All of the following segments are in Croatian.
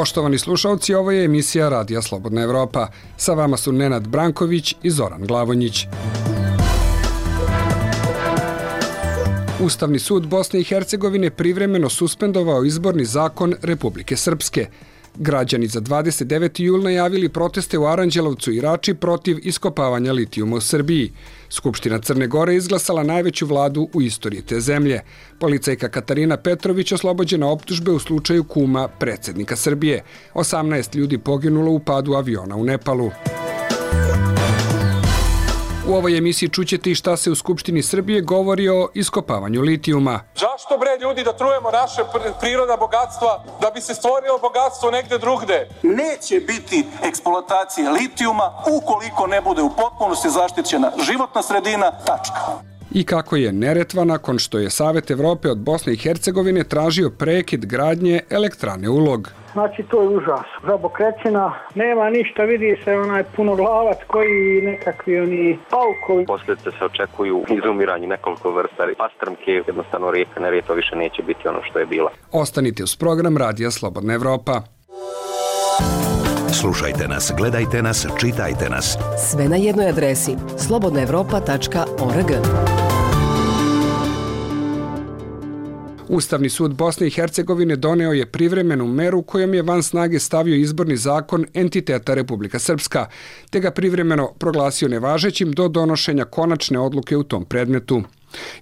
Poštovani slušalci, ovo je emisija Radija Slobodna Evropa. Sa vama su Nenad Branković i Zoran Glavonjić. Ustavni sud Bosne i Hercegovine privremeno suspendovao izborni zakon Republike Srpske. Građani za 29. jul najavili proteste u Aranđelovcu i Rači protiv iskopavanja litijuma u Srbiji. Skupština Crne Gore izglasala najveću vladu u istoriji te zemlje. Policajka Katarina Petrović oslobođena optužbe u slučaju kuma predsjednika Srbije. 18 ljudi poginulo u padu aviona u Nepalu. U ovoj emisiji čućete i šta se u Skupštini Srbije govori o iskopavanju litijuma. Zašto bre ljudi da trujemo naše prirodna bogatstva da bi se stvorilo bogatstvo negde drugde? Neće biti eksploatacije litijuma ukoliko ne bude u potpunosti zaštićena životna sredina, tačka. I kako je Neretva nakon što je Savet Evrope od Bosne i Hercegovine tražio prekid gradnje elektrane Ulog. Znači, to je užas. Žabokrećina, nema ništa, vidi se onaj punoglavac koji nekakvi oni paukovi. Posljedice se očekuju izumiranje nekoliko vrsta pastrmke, jednostavno rijeka Neretva više neće biti ono što je bila. Ostanite uz program Radija Slobodna Evropa. Slušajte nas, gledajte nas, čitajte nas. Sve na jednoj adresi slobodnaevropa.org. Ustavni sud Bosne i Hercegovine doneo je privremenu meru kojom je van snage stavio izborni zakon entiteta Republika Srpska, te ga privremeno proglasio nevažećim do donošenja konačne odluke u tom predmetu.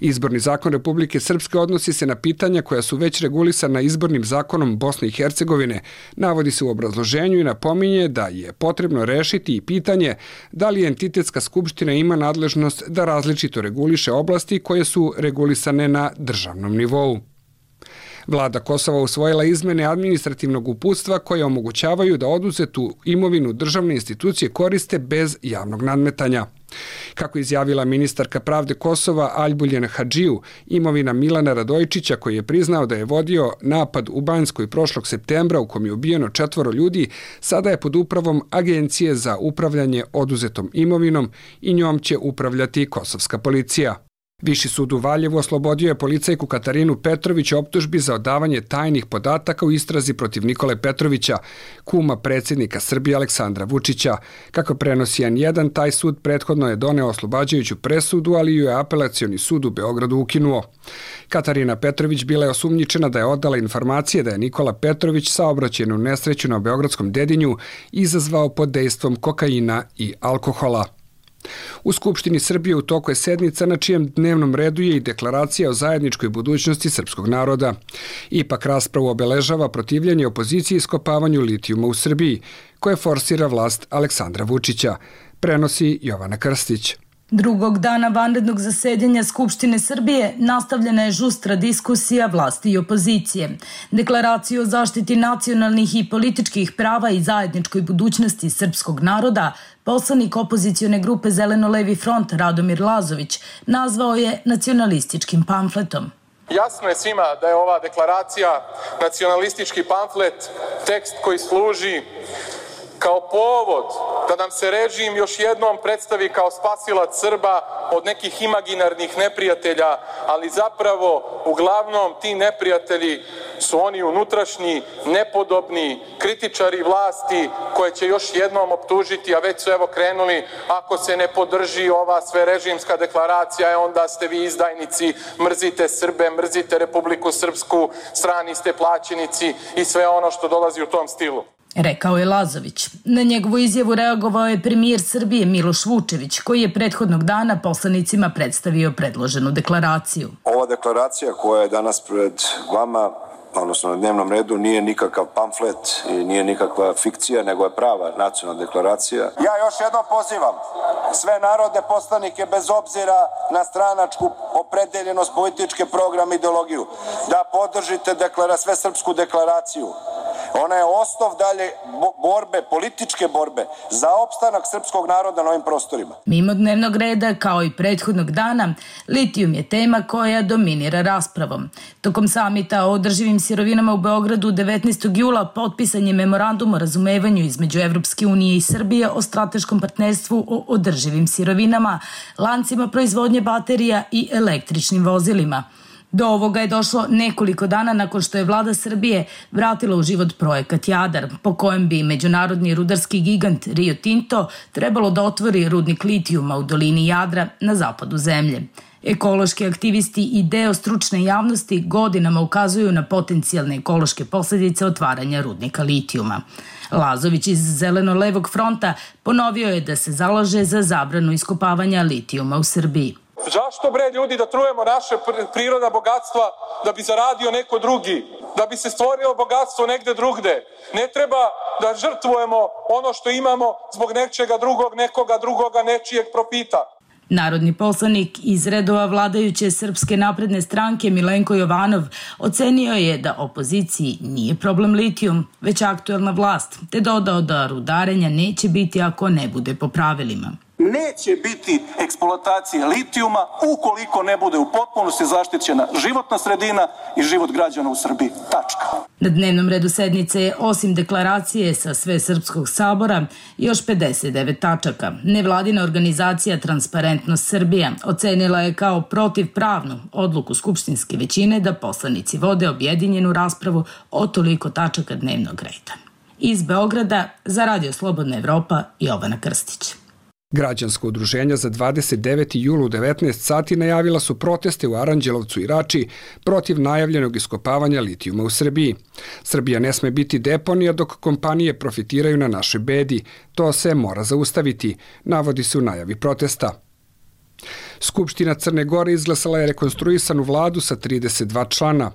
Izborni zakon Republike Srpske odnosi se na pitanja koja su već regulisana izbornim zakonom Bosne i Hercegovine. Navodi se u obrazloženju i napominje da je potrebno rešiti i pitanje da li entitetska skupština ima nadležnost da različito reguliše oblasti koje su regulisane na državnom nivou. Vlada Kosova usvojila izmene administrativnog uputstva koje omogućavaju da oduzetu imovinu državne institucije koriste bez javnog nadmetanja. Kako izjavila ministarka pravde Kosova Aljbuljen Hadžiju, imovina Milana Radojčića koji je priznao da je vodio napad u Banjskoj prošlog septembra u kom je ubijeno 4 ljudi, sada je pod upravom Agencije za upravljanje oduzetom imovinom i njom će upravljati kosovska policija. Viši sud u Valjevu oslobodio je policajku Katarinu Petrović optužbi za odavanje tajnih podataka u istrazi protiv Nikole Petrovića, kuma predsjednika Srbije Aleksandra Vučića. Kako prenosi N1, taj sud prethodno je doneo oslobađajuću presudu, ali ju je apelacioni sud u Beogradu ukinuo. Katarina Petrović bila je osumnjičena da je odala informacije da je Nikola Petrović saobraćajnu nesreću na Beogradskom Dedinju izazvao pod dejstvom kokaina i alkohola. U Skupštini Srbije u toku je sednica na čijem dnevnom redu je i deklaracija o zajedničkoj budućnosti srpskog naroda. Ipak raspravu obeležava protivljenje opoziciji iskopavanju litijuma u Srbiji, koje forsira vlast Aleksandra Vučića, prenosi Jovana Krstić. Drugog dana vanrednog zasedanja Skupštine Srbije nastavljena je žustra diskusija vlasti i opozicije. Deklaraciju o zaštiti nacionalnih i političkih prava i zajedničkoj budućnosti srpskog naroda poslanik opozicione grupe Zeleno-levi front Radomir Lazović nazvao je nacionalističkim pamfletom. Jasno je svima da je ova deklaracija nacionalistički pamflet, tekst koji služi kao povod da nam se režim još jednom predstavi kao spasilac Srba od nekih imaginarnih neprijatelja, ali zapravo uglavnom ti neprijatelji su oni unutrašnji, nepodobni, kritičari vlasti koje će još jednom optužiti, a već su evo krenuli, ako se ne podrži ova sverežimska deklaracija, onda ste vi izdajnici, mrzite Srbe, mrzite Republiku Srpsku, strani ste plaćenici i sve ono što dolazi u tom stilu. Rekao je Lazović. Na njegovu izjavu reagovao je premijer Srbije Miloš Vučević, koji je prethodnog dana poslanicima predstavio predloženu deklaraciju. Ova deklaracija koja je danas pred vama, odnosno na dnevnom redu, nije nikakav pamflet i nije nikakva fikcija, nego je prava nacionalna deklaracija. Ja još jednom pozivam sve narodne poslanike, bez obzira na stranačku opredeljenost, političke program, ideologiju, da podržite svesrpsku deklaraciju. Ona je osnov dalje borbe, političke borbe za opstanak srpskog naroda na ovim prostorima. Mimo dnevnog reda, kao i prethodnog dana, litijum je tema koja dominira raspravom. Tokom samita o održivim sirovinama u Beogradu 19. jula potpisan je memorandum o razumevanju između Evropske unije i Srbije o strateškom partnerstvu o održivim sirovinama, lancima proizvodnje baterija i električnim vozilima. Do ovoga je došlo nekoliko dana nakon što je vlada Srbije vratila u život projekat Jadar, po kojem bi međunarodni rudarski gigant Rio Tinto trebalo da otvori rudnik litijuma u dolini Jadra na zapadu zemlje. Ekološki aktivisti i deo stručne javnosti godinama ukazuju na potencijalne ekološke posljedice otvaranja rudnika litijuma. Lazović iz Zeleno-levog fronta ponovio je da se zalaže za zabranu iskopavanja litijuma u Srbiji. Zašto bre ljudi da trujemo naše prirodna bogatstva da bi zaradio neko drugi, da bi se stvorilo bogatstvo negde drugde? Ne treba da žrtvujemo ono što imamo zbog nečega drugog, nekoga drugoga, nečijeg profita. Narodni poslanik iz redova vladajuće Srpske napredne stranke Milenko Jovanov ocenio je da opoziciji nije problem litijum, već aktuelna vlast, te dodao da rudarenja neće biti ako ne bude po pravilima. Neće biti eksploatacije litijuma ukoliko ne bude u potpunosti zaštićena životna sredina i život građana u Srbiji. Tačka. Na dnevnom redu sednice je, osim deklaracije sa Svesrpskog sabora, još 59 tačaka. Nevladina organizacija Transparentnost Srbija ocenila je kao protivpravnu odluku skupštinske većine da poslanici vode objedinjenu raspravu o toliko tačaka dnevnog reda. Iz Beograda za Radio Slobodna Evropa Jovana Krstić. Građansko udruženja za 29. jul u 19 sati najavila su proteste u Aranđelovcu i Rači protiv najavljenog iskopavanja litijuma u Srbiji. Srbija ne sme biti deponija dok kompanije profitiraju na našoj bedi. To se mora zaustaviti, navodi se u najavi protesta. Skupština Crne Gore izglasala je rekonstruisanu vladu sa 32 člana.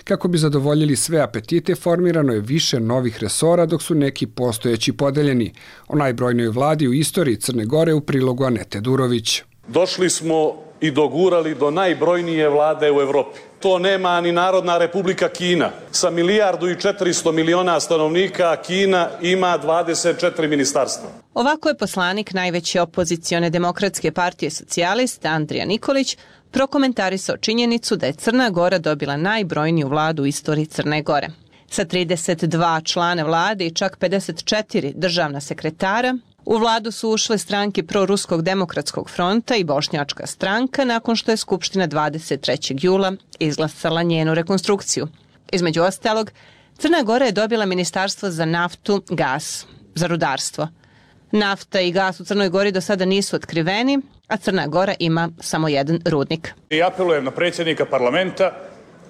Kako bi zadovoljili sve apetite, formirano je više novih resora, dok su neki postojeći podeljeni. O najbrojnijoj vladi u istoriji Crne Gore u prilogu Anete Durović. Došli smo i dogurali do najbrojnije vlade u Evropi. To nema ni Narodna Republika Kina. Sa 1.400 miliona stanovnika Kina ima 24 ministarstva. Ovako je poslanik najveće opozicione demokratske partije Socijalista Andrija Nikolić prokomentarisao činjenicu da je Crna Gora dobila najbrojniju vladu u istoriji Crne Gore. Sa 32 člana vlade i čak 54 državna sekretara, u vladu su ušle stranke Proruskog demokratskog fronta i Bošnjačka stranka nakon što je Skupština 23. jula izglasala njenu rekonstrukciju. Između ostalog, Crna Gora je dobila ministarstvo za naftu, gas, za rudarstvo. Nafta i gas u Crnoj Gori do sada nisu otkriveni, a Crna Gora ima samo jedan rudnik. I apelujem na predsjednika parlamenta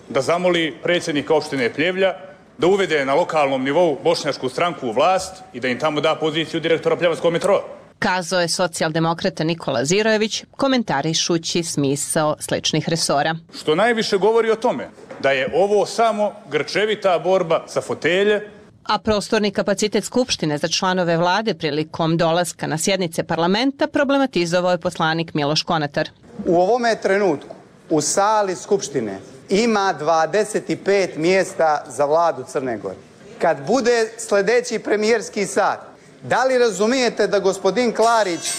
da zamoli predsjednika opštine Pljevlja da uvede na lokalnom nivou bošnjačku stranku u vlast i da im tamo da poziciju direktora Pljevanskog metroa. Kazao je socijaldemokrata Nikola Zirojević, komentarišući smisao sličnih resora. Što najviše govori o tome da je ovo samo grčevita borba za fotelje, a prostorni kapacitet Skupštine za članove vlade prilikom dolaska na sjednice parlamenta problematizovao je poslanik Miloš Konatar. U ovome trenutku u sali Skupštine ima 25 mjesta za vladu Crne Gore. Kad bude sljedeći premijerski sat, da li razumijete da gospodin Klarić,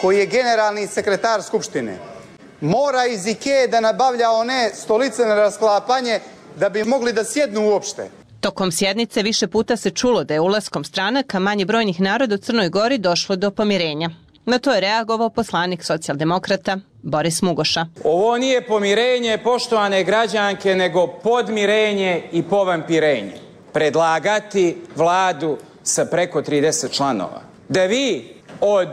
koji je generalni sekretar Skupštine, mora iz Ikee da nabavlja one stolice na rasklapanje da bi mogli da sjednu uopšte? Tokom sjednice više puta se čulo da je ulaskom stranaka manje brojnih naroda u Crnoj Gori došlo do pomirenja. Na to je reagovao poslanik socijaldemokrata Boris Mugoša. Ovo nije pomirenje, poštovane građanke, nego podmirenje i povampirenje. Predlagati vladu sa preko 30 članova. Da vi od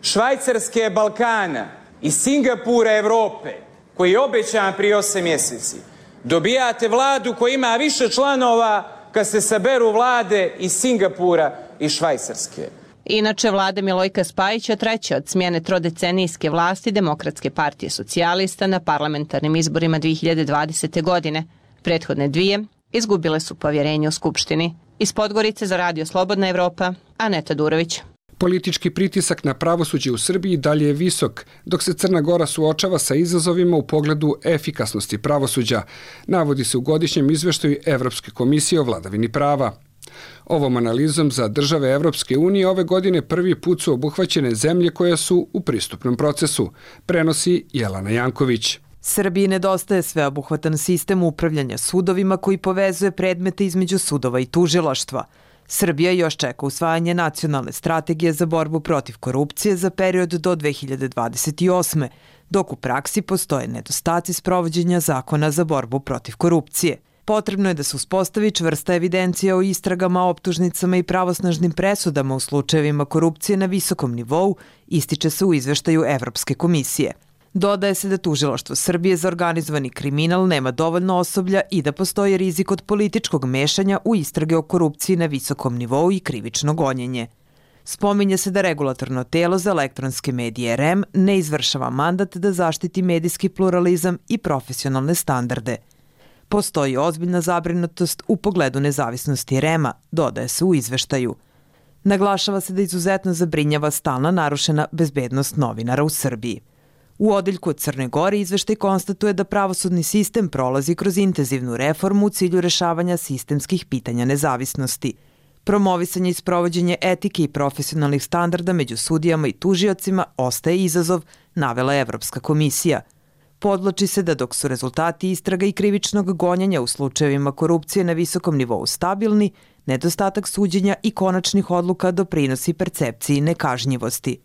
Švajcarske Balkana i Singapura Evrope, koji je obećan prije 8 mjeseci, dobijate vladu koja ima više članova kad se saberu vlade iz Singapura i Švajcarske. Inače, vlade Milojka Spajića treća od smjene trodecenijske vlasti Demokratske partije Socijalista na parlamentarnim izborima 2020. godine. Prethodne dvije izgubile su povjerenje u Skupštini. Iz Podgorice za Radio Slobodna Evropa, Aneta Durović. Politički pritisak na pravosuđe u Srbiji dalje je visok, dok se Crna Gora suočava sa izazovima u pogledu efikasnosti pravosuđa, navodi se u godišnjem izveštaju Evropske komisije o vladavini prava. Ovom analizom za države Evropske unije ove godine prvi put su obuhvaćene zemlje koje su u pristupnom procesu, prenosi Jelena Janković. Srbiji nedostaje sveobuhvatan sistem upravljanja sudovima koji povezuje predmete između sudova i tužilaštva. Srbija još čeka usvajanje nacionalne strategije za borbu protiv korupcije za period do 2028. dok u praksi postoje nedostaci sprovođenja zakona za borbu protiv korupcije. Potrebno je da se uspostavi čvrsta evidencija o istragama, optužnicama i pravosnažnim presudama u slučajevima korupcije na visokom nivou, ističe se u izveštaju Evropske komisije. Dodaje se da Tužilaštvo Srbije za organizovani kriminal nema dovoljno osoblja i da postoji rizik od političkog mešanja u istrage o korupciji na visokom nivou i krivično gonjenje. Spominje se da regulatorno telo za elektronske medije REM ne izvršava mandat da zaštiti medijski pluralizam i profesionalne standarde. Postoji ozbiljna zabrinutost u pogledu nezavisnosti REM-a, dodaje se u izveštaju. Naglašava se da izuzetno zabrinjava stalna narušena bezbednost novinara u Srbiji. U odeljku od Crne Gore izveštaj konstatuje da pravosudni sistem prolazi kroz intenzivnu reformu u cilju rešavanja sistemskih pitanja nezavisnosti. Promovisanje i sprovođenje etike i profesionalnih standarda među sudijama i tužiocima ostaje izazov, navela Evropska komisija. Podvlači se da dok su rezultati istraga i krivičnog gonjenja u slučajevima korupcije na visokom nivou stabilni, nedostatak suđenja i konačnih odluka doprinosi percepciji nekažnjivosti.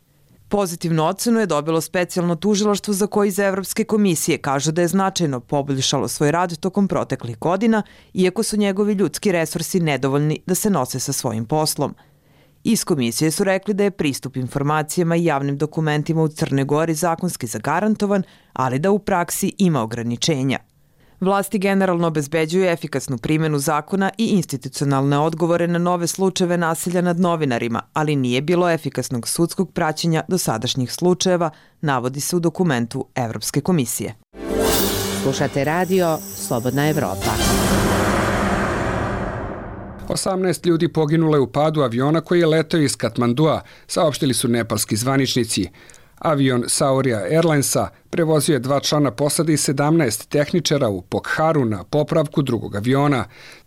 Pozitivnu ocenu je dobilo specijalno tužilaštvo za koje iz Evropske komisije kažu da je značajno poboljšalo svoj rad tokom proteklih godina, iako su njegovi ljudski resursi nedovoljni da se nose sa svojim poslom. Iz komisije su rekli da je pristup informacijama i javnim dokumentima u Crnoj Gori zakonski zagarantovan, ali da u praksi ima ograničenja. Vlasti generalno obezbeđuju efikasnu primjenu zakona i institucionalne odgovore na nove slučajeve nasilja nad novinarima, ali nije bilo efikasnog sudskog praćenja dosadašnjih slučajeva, navodi se u dokumentu Evropske komisije. Slušate radio Slobodna Evropa. 18 ljudi poginulo je u padu aviona koji je letao iz Katmandua, saopštili su nepalski zvaničnici. Avion Sauria Airlinesa prevozio je 2 člana posade i 17 tehničara u Pokharu na popravku drugog aviona.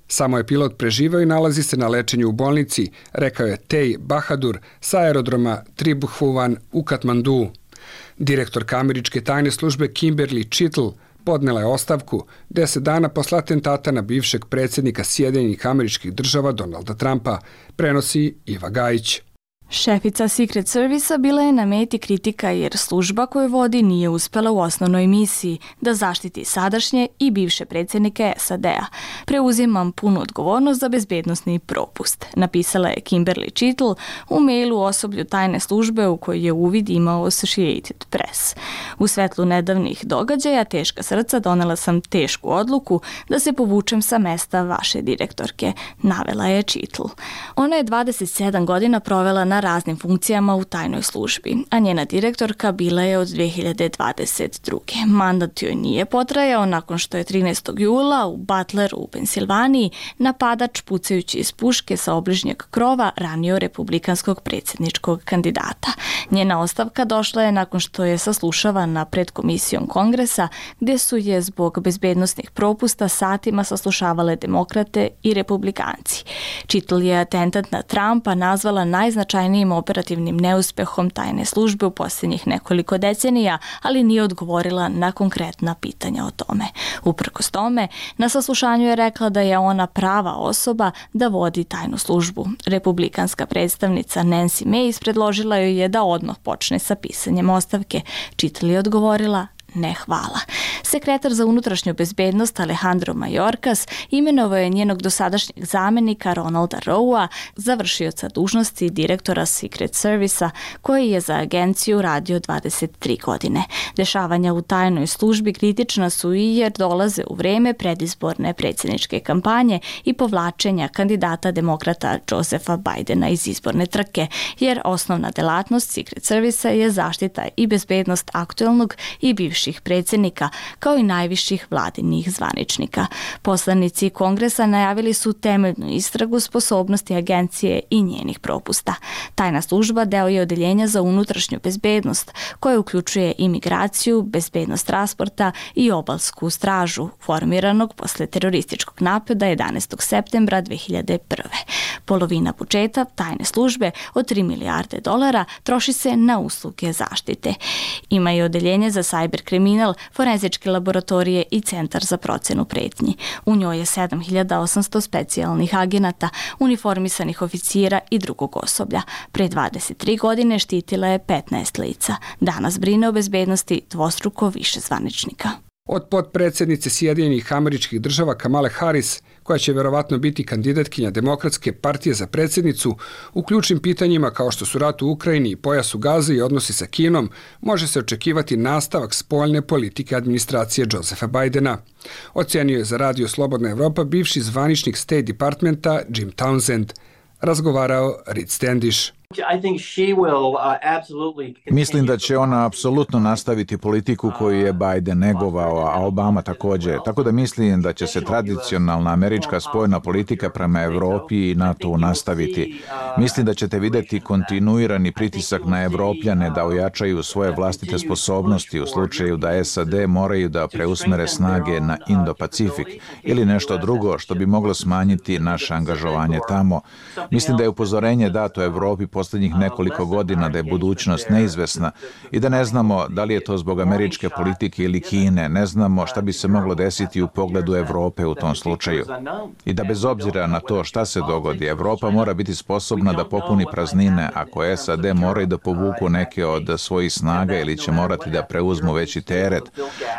Samo je pilot preživao i nalazi se na lečenju u bolnici, rekao je Tej Bahadur sa aerodroma Tribhuvan u Katmandu. Direktorka američke tajne službe Kimberly Chittle podnela je ostavku 10 dana posle atentata na bivšeg predsjednika Sjedinjenih Američkih Država Donalda Trumpa, prenosi Iva Gajić. Šefica Secret Servisa bila je na meti kritika jer služba koju vodi nije uspela u osnovnoj misiji da zaštiti sadašnje i bivše predsjednike SAD-a. Preuzimam punu odgovornost za bezbednosni propust, napisala je Kimberly Chittle u mailu osoblju tajne službe u kojoj je uvid imao Associated Press. U svetlu nedavnih događaja teška srca donela sam tešku odluku da se povučem sa mesta vaše direktorke, navela je Chittle. Ona je 27 godina provela na raznim funkcijama u tajnoj službi, a njena direktorka bila je od 2022. Mandat joj nije potrajao nakon što je 13. jula u Butleru u Pensilvaniji napadač pucajući iz puške sa obližnjeg krova ranio republikanskog predsjedničkog kandidata. Njena ostavka došla je nakon što je saslušavana pred komisijom Kongresa, gdje su je zbog bezbednosnih propusta satima saslušavale demokrate i republikanci. Chittle je atentat na Trumpa nazvala najznačajnijim operativnim neuspehom tajne službe u posljednjih nekoliko decenija, ali nije odgovorila na konkretna pitanja o tome. Uprkos tome, na saslušanju je rekla da je ona prava osoba da vodi tajnu službu. Republikanska predstavnica Nancy Mace predložila joj je da odmah počne sa pisanjem ostavke. Chittle je odgovorila: ne, hvala. Sekretar za unutrašnju bezbednost Alejandro Mayorkas imenovao je njenog dosadašnjeg zamenika Ronalda Rowa za vršioca dužnosti direktora Secret Servisa, koji je za agenciju radio 23 godine. Dešavanja u tajnoj službi kritična su i jer dolaze u vreme predizborne predsjedničke kampanje i povlačenja kandidata demokrata Josepha Bidena iz izborne trke, jer osnovna delatnost Secret Servisa je zaštita i bezbednost aktuelnog i bivših predsjednika, kao i najviših vladinih zvaničnika. Poslanici Kongresa najavili su temeljnu istragu sposobnosti agencije i njenih propusta. Tajna služba deo je odeljenja za unutrašnju bezbednost, koje uključuje imigraciju, bezbednost transporta i obalsku stražu, formiranog posle terorističkog napada 11. septembra 2001. Polovina budžeta tajne službe od $3 milijarde troši se na usluge zaštite. Ima i odeljenje za cyber kriminal, forenzičke laboratorije i Centar za procenu pretnji. U njoj je 7800 specijalnih agenata, uniformisanih oficira i drugog osoblja. Pre 23 godine štitila je 15 lica. Danas brine o bezbednosti dvostruko više zvaničnika. Od potpredsjednice Sjedinjenih Američkih Država Kamale Harris, koja će verovatno biti kandidatkinja Demokratske partije za predsjednicu, u ključnim pitanjima kao što su rat u Ukrajini i pojas u Gazi i odnosi sa Kinom, može se očekivati nastavak spoljne politike administracije Josepha Bidena. Ocenio je za Radio Slobodna Evropa bivši zvaničnik State Departmenta Jim Townsend. Razgovarao Reed Standish. Mislim da će ona apsolutno nastaviti politiku koju je Biden negovao, a Obama također. Tako da mislim da će se tradicionalna američka spoljna politika prema Evropi i NATO nastaviti. Mislim da ćete vidjeti kontinuirani pritisak na Evropljane da ojačaju svoje vlastite sposobnosti u slučaju da SAD moraju da preusmere snage na Indo-Pacifik ili nešto drugo što bi moglo smanjiti naše angažovanje tamo. Mislim da je upozorenje dato Evropi posljednjih nekoliko godina da je budućnost neizvesna i da ne znamo da li je to zbog američke politike ili Kine, ne znamo šta bi se moglo desiti u pogledu Evrope u tom slučaju. I da bez obzira na to šta se dogodi, Evropa mora biti sposobna da popuni praznine ako SAD moraju da povuku neke od svojih snaga ili će morati da preuzmu veći teret,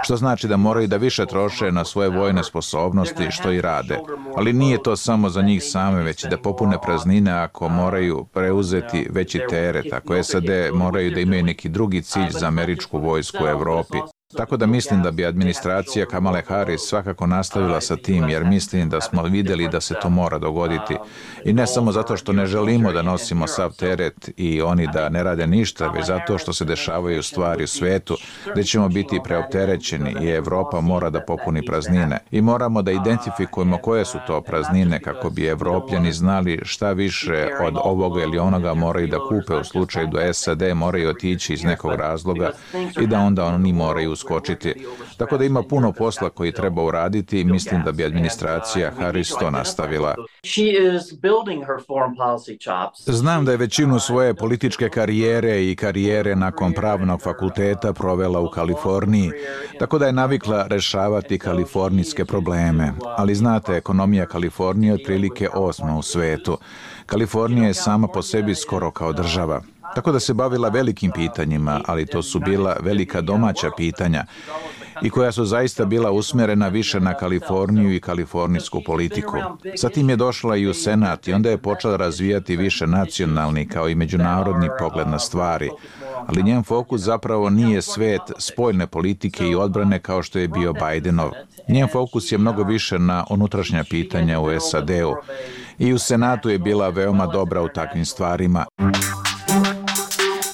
što znači da moraju da više troše na svoje vojne sposobnosti, što i rade. Ali nije to samo za njih same, već i da popune praznine ako moraju preuzeti veći teret, ako SAD moraju da imaju neki drugi cilj za američku vojsku u Evropi. Tako da mislim da bi administracija Kamale Harris svakako nastavila sa tim, jer mislim da smo vidjeli da se to mora dogoditi. I ne samo zato što ne želimo da nosimo sav teret i oni da ne rade ništa, već zato što se dešavaju stvari u svetu gdje ćemo biti preopterećeni i Evropa mora da popuni praznine. I moramo da identifikujemo koje su to praznine kako bi Evropljani znali šta više od ovoga ili onoga moraju da kupe u slučaju da SAD moraju otići iz nekog razloga i da onda oni moraju skočiti. Tako da ima puno posla koji treba uraditi i mislim da bi administracija Harris to nastavila. Znam da je većinu svoje političke karijere i karijere nakon pravnog fakulteta provela u Kaliforniji, tako da je navikla rešavati kalifornijske probleme. Ali znate, ekonomija Kalifornije je otprilike 8. u svetu. Kalifornija je sama po sebi skoro kao država. Tako da se bavila velikim pitanjima, ali to su bila velika domaća pitanja i koja su zaista bila usmjerena više na Kaliforniju i kalifornijsku politiku. Zatim je došla i u Senat i onda je počela razvijati više nacionalni kao i međunarodni pogled na stvari. Ali njen fokus zapravo nije svet spoljne politike i odbrane kao što je bio Bidenov. Njen fokus je mnogo više na unutrašnja pitanja u SAD-u. I u Senatu je bila veoma dobra u takvim stvarima.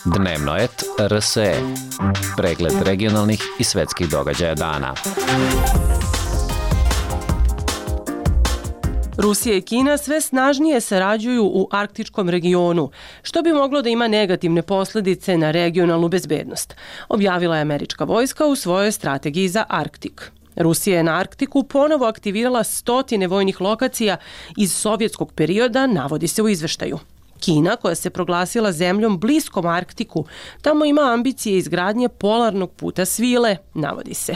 Dnevnoet RSE. Pregled regionalnih i svetskih događaja dana. Rusija i Kina sve snažnije sarađuju u arktičkom regionu, što bi moglo da ima negativne posljedice na regionalnu bezbednost, objavila je američka vojska u svojoj strategiji za Arktik. Rusija je na Arktiku ponovo aktivirala 100 vojnih lokacija iz sovjetskog perioda, navodi se u izveštaju. Kina, koja se proglasila zemljom bliskom Arktiku, tamo ima ambicije izgradnje polarnog puta svile, navodi se.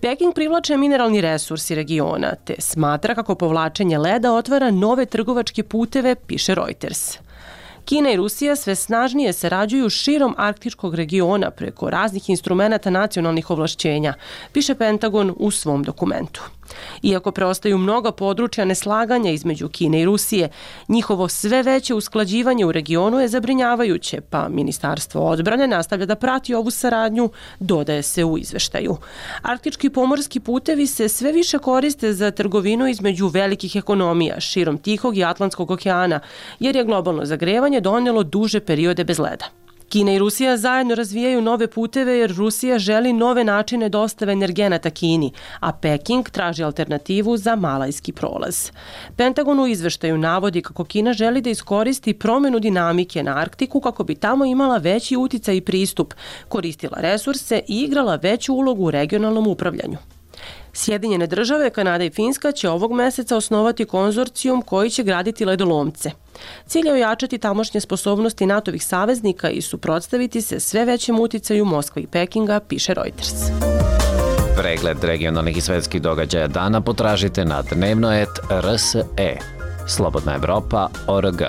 Peking privlače mineralni resursi regiona, te smatra kako povlačenje leda otvara nove trgovačke puteve, piše Reuters. Kina i Rusija sve snažnije sarađuju širom arktičkog regiona preko raznih instrumenata nacionalnih ovlašćenja, piše Pentagon u svom dokumentu. Iako preostaju mnoga područja neslaganja između Kine i Rusije, njihovo sve veće usklađivanje u regionu je zabrinjavajuće, pa Ministarstvo odbrane nastavlja da prati ovu saradnju, dodaje se u izveštaju. Arktički pomorski putevi se sve više koriste za trgovinu između velikih ekonomija širom Tihog i Atlantskog okeana, jer je globalno zagrevanje donijelo duže periode bez leda. Kina i Rusija zajedno razvijaju nove puteve jer Rusija želi nove načine dostave energenata Kini, a Peking traži alternativu za Malajski prolaz. Pentagon u izveštaju navodi kako Kina želi da iskoristi promjenu dinamike na Arktiku kako bi tamo imala veći uticaj i pristup, koristila resurse i igrala veću ulogu u regionalnom upravljanju. Sjedinjene države, Kanada i Finska će ovog meseca osnovati konzorcijum koji će graditi ledolomce. Cilj je ojačati tamošnje sposobnosti NATO-vih saveznika i suprotstaviti se sve većem uticaju Moskve i Pekinga, piše Reuters. Pregled regionalnih i svetskih događaja dana potražite na dnevno.rs.e. Slobodna Evropa.org.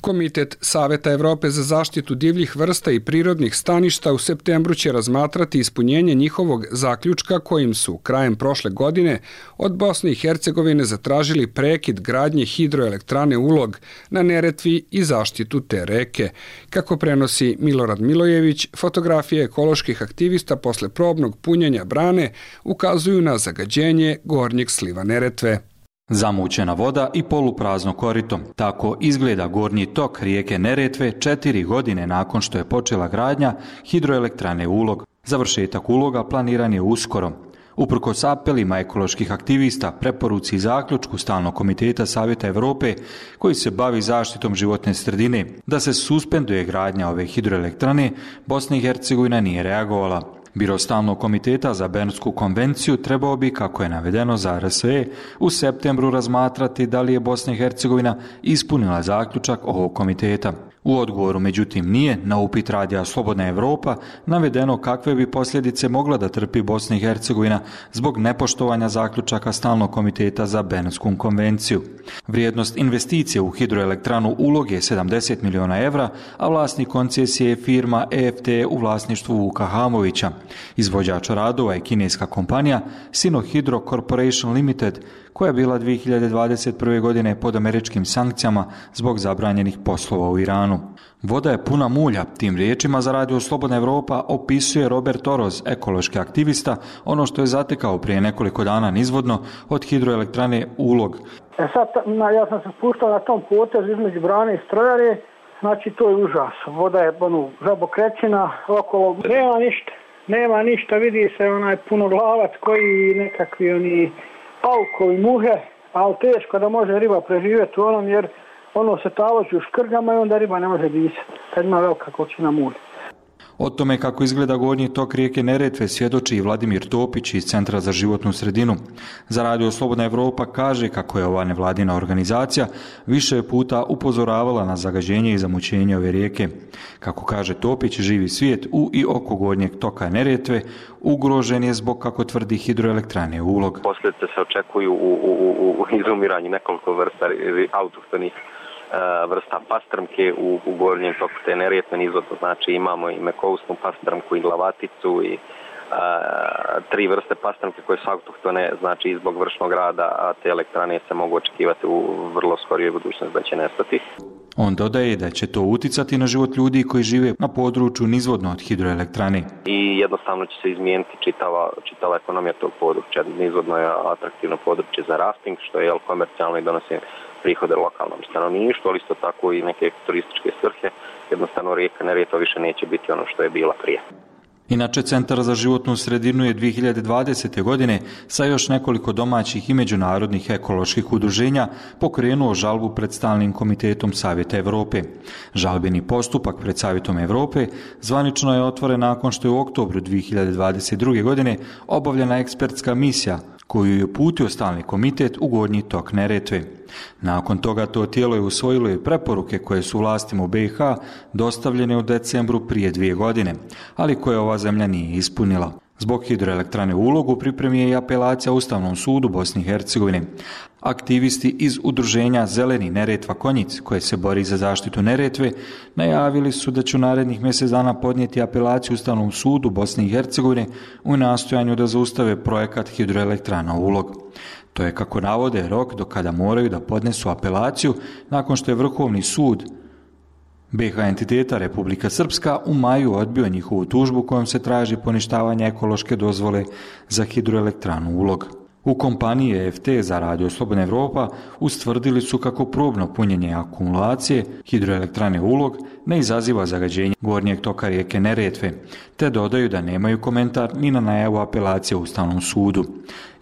Komitet Saveta Evrope za zaštitu divljih vrsta i prirodnih staništa u septembru će razmatrati ispunjenje njihovog zaključka kojim su krajem prošle godine od Bosne i Hercegovine zatražili prekid gradnje hidroelektrane Ulog na Neretvi i zaštitu te reke. Kako prenosi Milorad Milojević, fotografije ekoloških aktivista posle probnog punjenja brane ukazuju na zagađenje gornjeg sliva Neretve. Zamućena voda i poluprazno korito. Tako izgleda gornji tok rijeke Neretve 4 godine nakon što je počela gradnja hidroelektrane Ulog. Završetak Uloga planiran je uskoro. Uprkos apelima ekoloških aktivista, preporuci i zaključku Stalnog komiteta Savjeta Evrope koji se bavi zaštitom životne sredine da se suspenduje gradnja ove hidroelektrane, Bosna i Hercegovina nije reagovala. Biro Stalnog komiteta za Bernsku konvenciju trebao bi, kako je navedeno za RSE, u septembru razmatrati da li je Bosna i Hercegovina ispunila zaključak ovog komiteta. U odgovoru, međutim, nije na upit radija Slobodna Evropa navedeno kakve bi posljedice mogla da trpi Bosna i Hercegovina zbog nepoštovanja zaključaka Stalnog komiteta za Bernsku konvenciju. Vrijednost investicije u hidroelektranu Ulog je 70 miliona evra, a vlasnik koncesije je firma EFT u vlasništvu Vuka Hamovića. Izvođač radova je kineska kompanija Sinohydro Corporation Limited, koja je bila 2021. godine pod američkim sankcijama zbog zabranjenih poslova u Iranu. Voda je puna mulja, tim riječima za radio Slobodna Evropa opisuje Robert Oroz, ekološki aktivista, ono što je zatekao prije nekoliko dana nizvodno od hidroelektrane Ulog. Sad, ja sam se spuštao na tom potezu između brane i strojare, znači to je užas. Voda je žabokrećina, okolo nema ništa, vidi se onaj punoglavac koji nekakvi oni paukovi, muhe, ali teško da može riba preživjeti u onom jer ono se taloži u škrgama i onda riba ne može disati, kad ima velika količina mulja. O tome kako izgleda gornji tok rijeke Neretve svjedoči i Vladimir Topić iz Centra za životnu sredinu. Za radio Slobodna Evropa kaže kako je ova nevladina organizacija više puta upozoravala na zagađenje i zamućenje ove rijeke. Kako kaže Topić, živi svijet u i oko gornjeg toka Neretve ugrožen je zbog, kako tvrdi, hidroelektrane Ulog. Posljedice se očekuju u izumiranju nekoliko vrsta autohtonih vrsta pastrmke u gornjem toku te Neretve nizvodno, znači imamo i mekousnu pastrmku i glavaticu i 3 vrste pastrmke koje su autohtone, znači i zbog vršnog rada, a te elektrane se mogu očekivati u vrlo skorijoj budućnosti da će nestati. On dodaje da će to uticati na život ljudi koji žive na području nizvodno od hidroelektrane. I jednostavno će se izmijeniti čitava ekonomija tog područja. Nizvodno je atraktivno područje za rafting, što je komercijalno i donosi prihode lokalnom stanovništvu, ali isto tako i neke turističke svrhe. Jednostavno rijeka Neretva više neće biti ono što je bila prije. Inače, Centar za životnu sredinu je 2020. godine sa još nekoliko domaćih i međunarodnih ekoloških udruženja pokrenuo žalbu pred Stalnim komitetom Savjeta Evrope. Žalbeni postupak pred Savjetom Evrope zvanično je otvoren nakon što je u oktobru 2022. godine obavljena ekspertska misija koju je uputio Stalni komitet u gornji tok Neretve. Nakon toga to tijelo je usvojilo i preporuke koje su vlastima u BiH dostavljene u decembru prije 2 godine, ali koje ova zemlja nije ispunila. Zbog hidroelektrane Ulog u pripremi je i apelacija Ustavnom sudu Bosne i Hercegovine. Aktivisti iz udruženja Zeleni Neretva Konjic, koje se bori za zaštitu Neretve, najavili su da će u narednih mjesec dana podnijeti apelaciju Ustavnom sudu Bosne i Hercegovine u nastojanju da zaustave projekat hidroelektrana Ulog. To je, kako navode, rok do kada moraju da podnesu apelaciju nakon što je Vrhovni sud BiH entiteta Republika Srpska u maju odbio njihovu tužbu kojom se traži poništavanje ekološke dozvole za hidroelektranu Ulog. U kompaniji EFT za radio Slobodna Evropa ustvrdili su kako probno punjenje akumulacije hidroelektrane Ulog ne izaziva zagađenje gornjeg toka rijeke Neretve, te dodaju da nemaju komentar ni na najavu apelacije u Ustavnom sudu.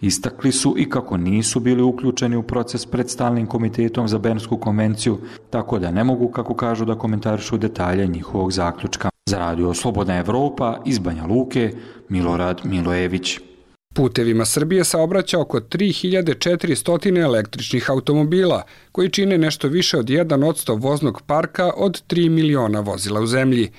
Istakli su i kako nisu bili uključeni u proces pred Stalnim komitetom za Bernsku konvenciju, tako da ne mogu, kako kažu, da komentarišu detalje njihovog zaključka. Za radio Slobodna Evropa iz Banja Luke, Milorad Milojević. Putevima Srbije saobraća oko 3400 električnih automobila, koji čine nešto više od 1% voznog parka od 3 miliona vozila u zemlji.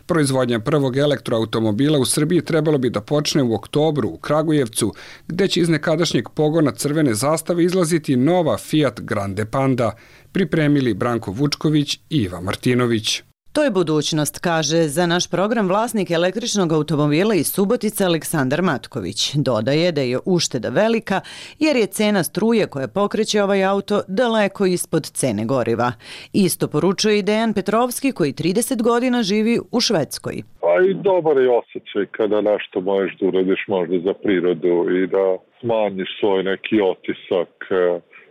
Proizvodnja prvog elektroautomobila u Srbiji trebalo bi da počne u oktobru u Kragujevcu, gde će iz nekadašnjeg pogona crvene zastave izlaziti nova Fiat Grande Panda, pripremili Branko Vučković i Iva Martinović. To je budućnost, kaže za naš program vlasnik električnog automobila iz Subotice Aleksandar Matković. Dodaje da je ušteda velika jer je cena struje koja pokreće ovaj auto daleko ispod cene goriva. Isto poručuje i Dejan Petrovski koji 30 godina živi u Švedskoj. Pa i dobar je osjećaj kada nešto možeš da uradiš možda za prirodu i da smanjiš svoj neki otisak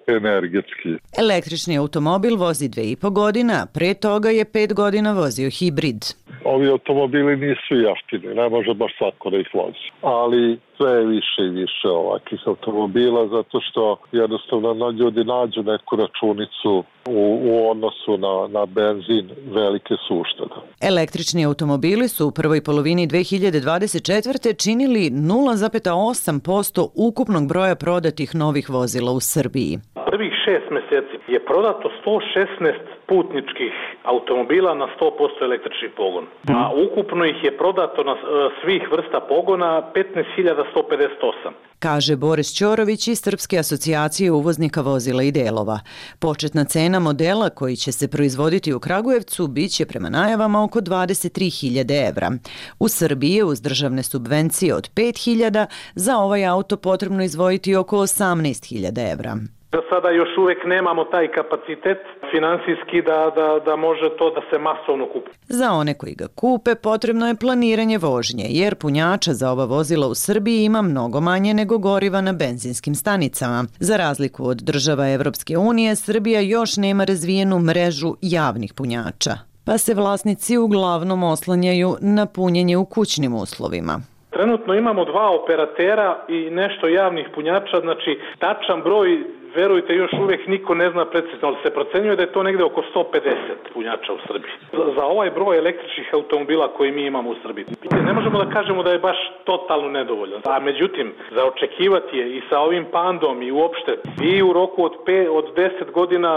energetski. Električni automobil vozi 2,5 godina, a pre toga je 5 godina vozio hibrid. Ovi automobili nisu jeftini, ne može baš svako da ih vozi. Ali sve je više i više ovakvih automobila zato što jednostavno ljudi nađu neku računicu u odnosu na benzin, velike su uštede. Električni automobili su u prvoj polovini 2024. činili 0,8% ukupnog broja prodatih novih vozila u Srbiji. Prvih 6 meseci je prodato 116 putničkih automobila na 100% električni pogon. A ukupno ih je prodato na svih vrsta pogona 15.158. Kaže Boris Ćorović iz Srpske asocijacije uvoznika vozila i delova. Početna cena modela koji će se proizvoditi u Kragujevcu biće prema najavama oko 23.000 evra. U Srbiji je uz državne subvencije od 5.000 za ovaj auto potrebno izdvojiti oko 18.000 evra. Za sada još uvek nemamo taj kapacitet finansijski da može to da se masovno kupi. Za one koji ga kupe potrebno je planiranje vožnje, jer punjača za ova vozila u Srbiji ima mnogo manje nego goriva na benzinskim stanicama. Za razliku od država Evropske unije, Srbija još nema razvijenu mrežu javnih punjača, pa se vlasnici uglavnom oslanjaju na punjenje u kućnim uslovima. Trenutno imamo 2 operatera i nešto javnih punjača, znači tačan broj, verujte, još uvijek niko ne zna precizno, ali se procenjuje da je to negde oko 150 punjača u Srbiji. Za ovaj broj električnih automobila koji mi imamo u Srbiji. Ne možemo da kažemo da je baš totalno nedovoljan. A međutim, za očekivati je i sa ovim Pandom i uopšte, vi u roku od 10 godina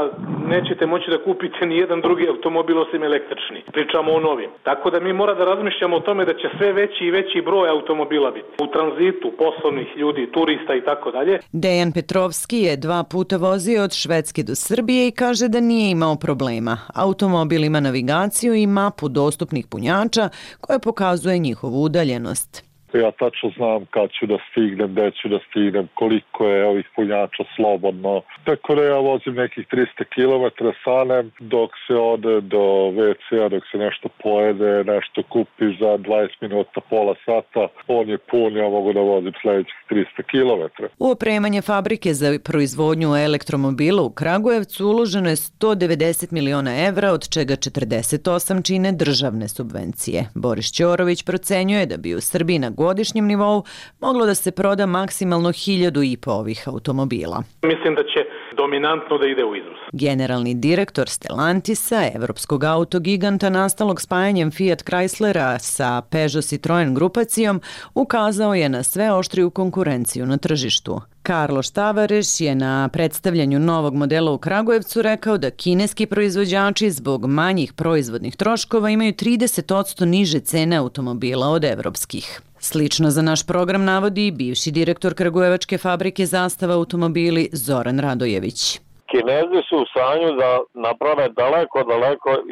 nećete moći da kupite ni jedan drugi automobil osim električni. Pričamo o novim. Tako da mi mora da razmišljamo o tome da će sve veći i veći broj automobila biti. U tranzitu, poslovnih ljudi, turista i tako dalje. Dejan Petrovski je 2 puta vozio od Švedske do Srbije i kaže da nije imao problema. Automobil ima navigaciju i mapu dostupnih punjača koja pokazuje njihovu udaljenost. Ja tačno znam kad ću da stignem, gde ću da stignem, koliko je ovih punjača slobodno. Tako da ja vozim nekih 300 km sanem dok se ode do WC-a, dok se nešto pojede, nešto kupiš za 20 minuta, pola sata. On je pun, ja mogu da vozim sledećih 300 km. U opremanje fabrike za proizvodnju elektromobila u Kragujevcu uloženo je 190 miliona evra, od čega 48 čine državne subvencije. Boris Ćorović procenjuje da bi u Srbiji na godišnjem nivou moglo da se proda maksimalno 1.500 ovih automobila. Mislim da će dominantno da ide u izvoz. Generalni direktor Stellantisa, evropskog autogiganta nastalog spajanjem Fiat Chryslera sa Peugeot Citroen grupacijom, ukazao je na sve oštriju konkurenciju na tržištu. Carlos Tavares je na predstavljanju novog modela u Kragujevcu rekao da kineski proizvođači zbog manjih proizvodnih troškova imaju 30% niže cene automobila od evropskih. Slično za naš program navodi i bivši direktor kragujevačke fabrike Zastava automobili Zoran Radojević. Kinezi su u stanju da naprave daleko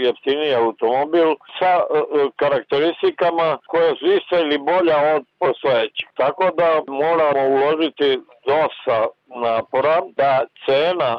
jeftiniji automobil sa karakteristikama koje su iste ili bolja od postojećih. Tako da moramo uložiti dosta napora da cena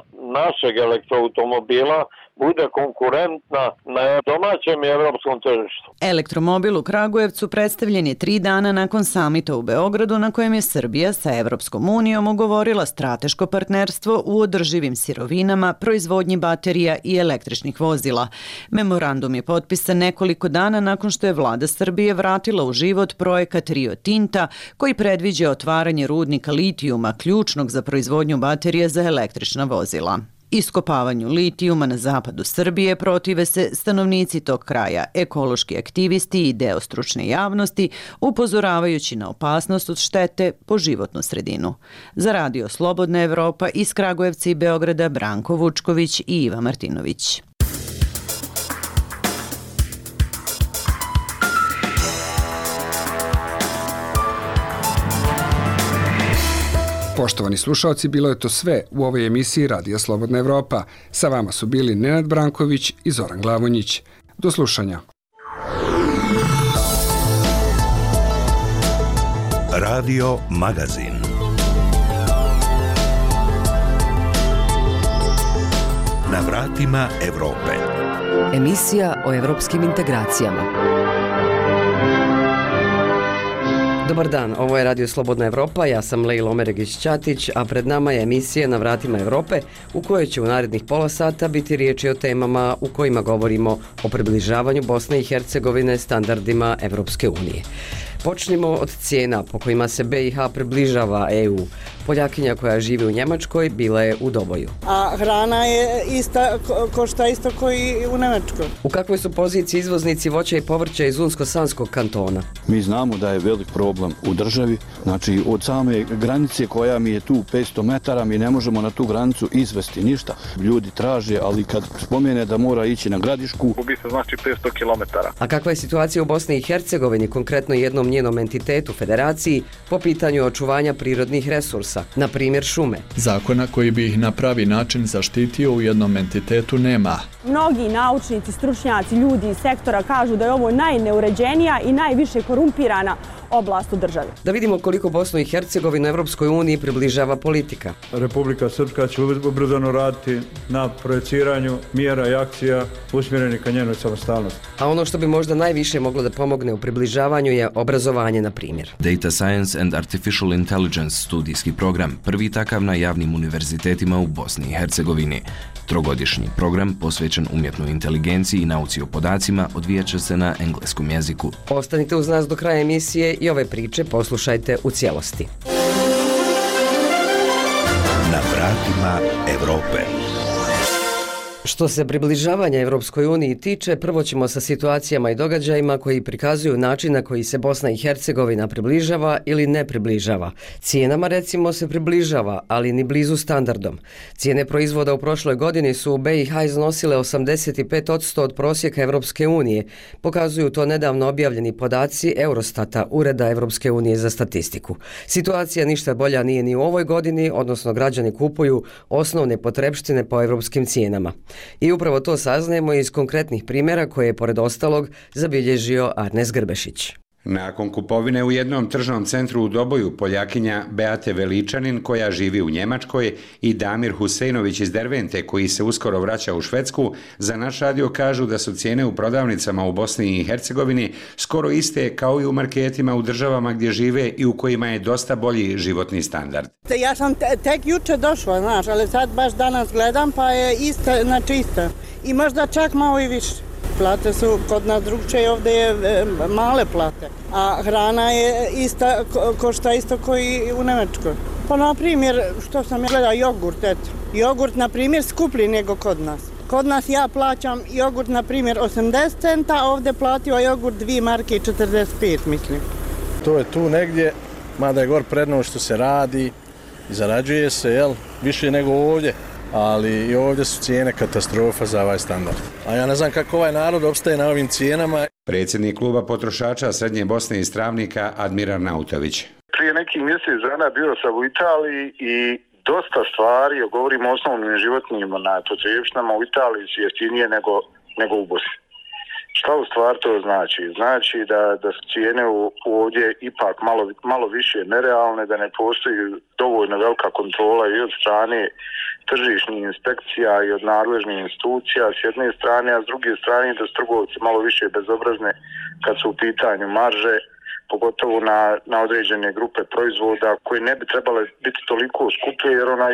našeg elektroautomobila bude konkurentna na domaćem i evropskom tržištu. Elektromobil u Kragujevcu predstavljen je 3 dana nakon samita u Beogradu na kojem je Srbija sa Evropskom unijom ugovorila strateško partnerstvo u održivim sirovinama, proizvodnji baterija i električnih vozila. Memorandum je potpisan nekoliko dana nakon što je vlada Srbije vratila u život projekat Rio Tinta koji predviđa otvaranje rudnika litijuma, ključnog za proizvodnju baterija za električna vozila. Iskopavanju litijuma na zapadu Srbije protive se stanovnici tog kraja, ekološki aktivisti i deo stručne javnosti, upozoravajući na opasnost od štete po životnu sredinu. Za Radio Slobodna Evropa iz Kragujevca i Beograda Branko Vučković i Iva Martinović. Poštovani slušalci, bilo je to sve u ovoj emisiji Radija Slobodna Evropa. Sa vama su bili Nenad Branković i Zoran Glavonjić. Do slušanja. Radio Magazin. Na vratima Evrope. Emisija o evropskim integracijama. Dobar dan, ovo je Radio Slobodna Evropa, ja sam Lejla Omeregić-Ćatić, a pred nama je emisija Na vratima Evrope u kojoj će u narednih pola sata biti riječi o temama u kojima govorimo o približavanju Bosne i Hercegovine standardima Evropske unije. Počnimo od cijena po kojima se BiH približava EU. Poljakinja koja živi u Njemačkoj bila je u Doboju. A hrana je košta isto koji u Njemačkoj. U kakvoj su poziciji izvoznici voća i povrća iz Unsko-Sanskog kantona? Mi znamo da je velik problem u državi. Znači, od same granice koja mi je tu 500 metara, mi ne možemo na tu granicu izvesti ništa. Ljudi traže, ali kad spomene da mora ići na Gradišku, gubi se znači 500 kilometara. A kakva je situacija u Bosni i Hercegovini, konkretno jednom njenom entitetu, federaciji, po pitanju očuvanja prirodnih resursa, na primjer šume? Zakona koji bi ih na pravi način zaštitio u jednom entitetu nema. Mnogi naučnici, stručnjaci, ljudi iz sektora kažu da je ovo najneuređenija i najviše korumpirana oblast u državi. Da vidimo koliko Bosnu i Hercegovinu Evropskoj uniji približava politika. Republika Srpska će ubrzano raditi na projeciranju mjera i akcija usmjerenih ka njenoj samostalnosti. A ono što bi možda najviše moglo da pomogne u približavanju je obrazovanje, na primjer. Data Science and Artificial Intelligence studijski program, prvi takav na javnim univerzitetima u Bosni i Hercegovini. Trogodišnji program posvećen umjetnoj inteligenciji i nauci o podacima odvijaće se na engleskom jeziku. Ostanite uz nas do kraja emisije i ove priče poslušajte u cijelosti. Na vratima Evrope. Što se približavanja Evropskoj uniji tiče, prvo ćemo sa situacijama i događajima koji prikazuju način na koji se Bosna i Hercegovina približava ili ne približava. Cijenama recimo se približava, ali ni blizu standardom. Cijene proizvoda u prošloj godini su u BiH iznosile 85% od prosjeka Evropske unije. Pokazuju to nedavno objavljeni podaci Eurostata, Ureda Evropske unije za statistiku. Situacija ništa bolja nije ni u ovoj godini, odnosno građani kupuju osnovne potrepštine po evropskim cijenama. I upravo to saznajemo iz konkretnih primjera koje je, pored ostalog, zabilježio Arnes Grbešić. Nakon kupovine u jednom tržnom centru u Doboju, Poljakinja Beate Veličanin, koja živi u Njemačkoj, i Damir Huseinović iz Dervente, koji se uskoro vraća u Švedsku, za naš radio kažu da su cijene u prodavnicama u Bosni i Hercegovini skoro iste kao i u marketima u državama gdje žive i u kojima je dosta bolji životni standard. Ja sam tek juče došla, znaš, ali sad baš danas gledam pa je isto, znači isto. I možda čak malo i više. Plate su kod nas drugčije, ovdje je male plate, a hrana je ista, košta isto koji u Njemačkoj. Pa na primjer, što sam gledala, jogurt, eto. Jogurt, na primjer, skuplji nego kod nas. Kod nas ja plaćam jogurt, na primjer, 80 centa, a ovdje platio jogurt 2 marke i 45, mislim. To je tu negdje, mada je gor predno što se radi i zarađuje se, jel, više nego ovdje. Ali i ovdje su cijene katastrofa za ovaj standard. A ja ne znam kako ovaj narod opstaje na ovim cijenama. Predsjednik kluba potrošača Srednje Bosne iz Travnika Admirar Nautović. Prije nekih mjesec dana bio sam u Italiji i dosta stvari, govorimo o osnovnim životnim potrepštinama, u Italiji su jeftinije nego u Bosni. Šta u stvar to znači? Znači da su cijene ovdje ipak malo više nerealne, da ne postoji dovoljno velika kontrola i od strane tržišnih inspekcija i od nadležnih institucija s jedne strane, a s druge strane da su trgovci malo više bezobrazni kad su u pitanju marže, pogotovo na određene grupe proizvoda koje ne bi trebale biti toliko skupe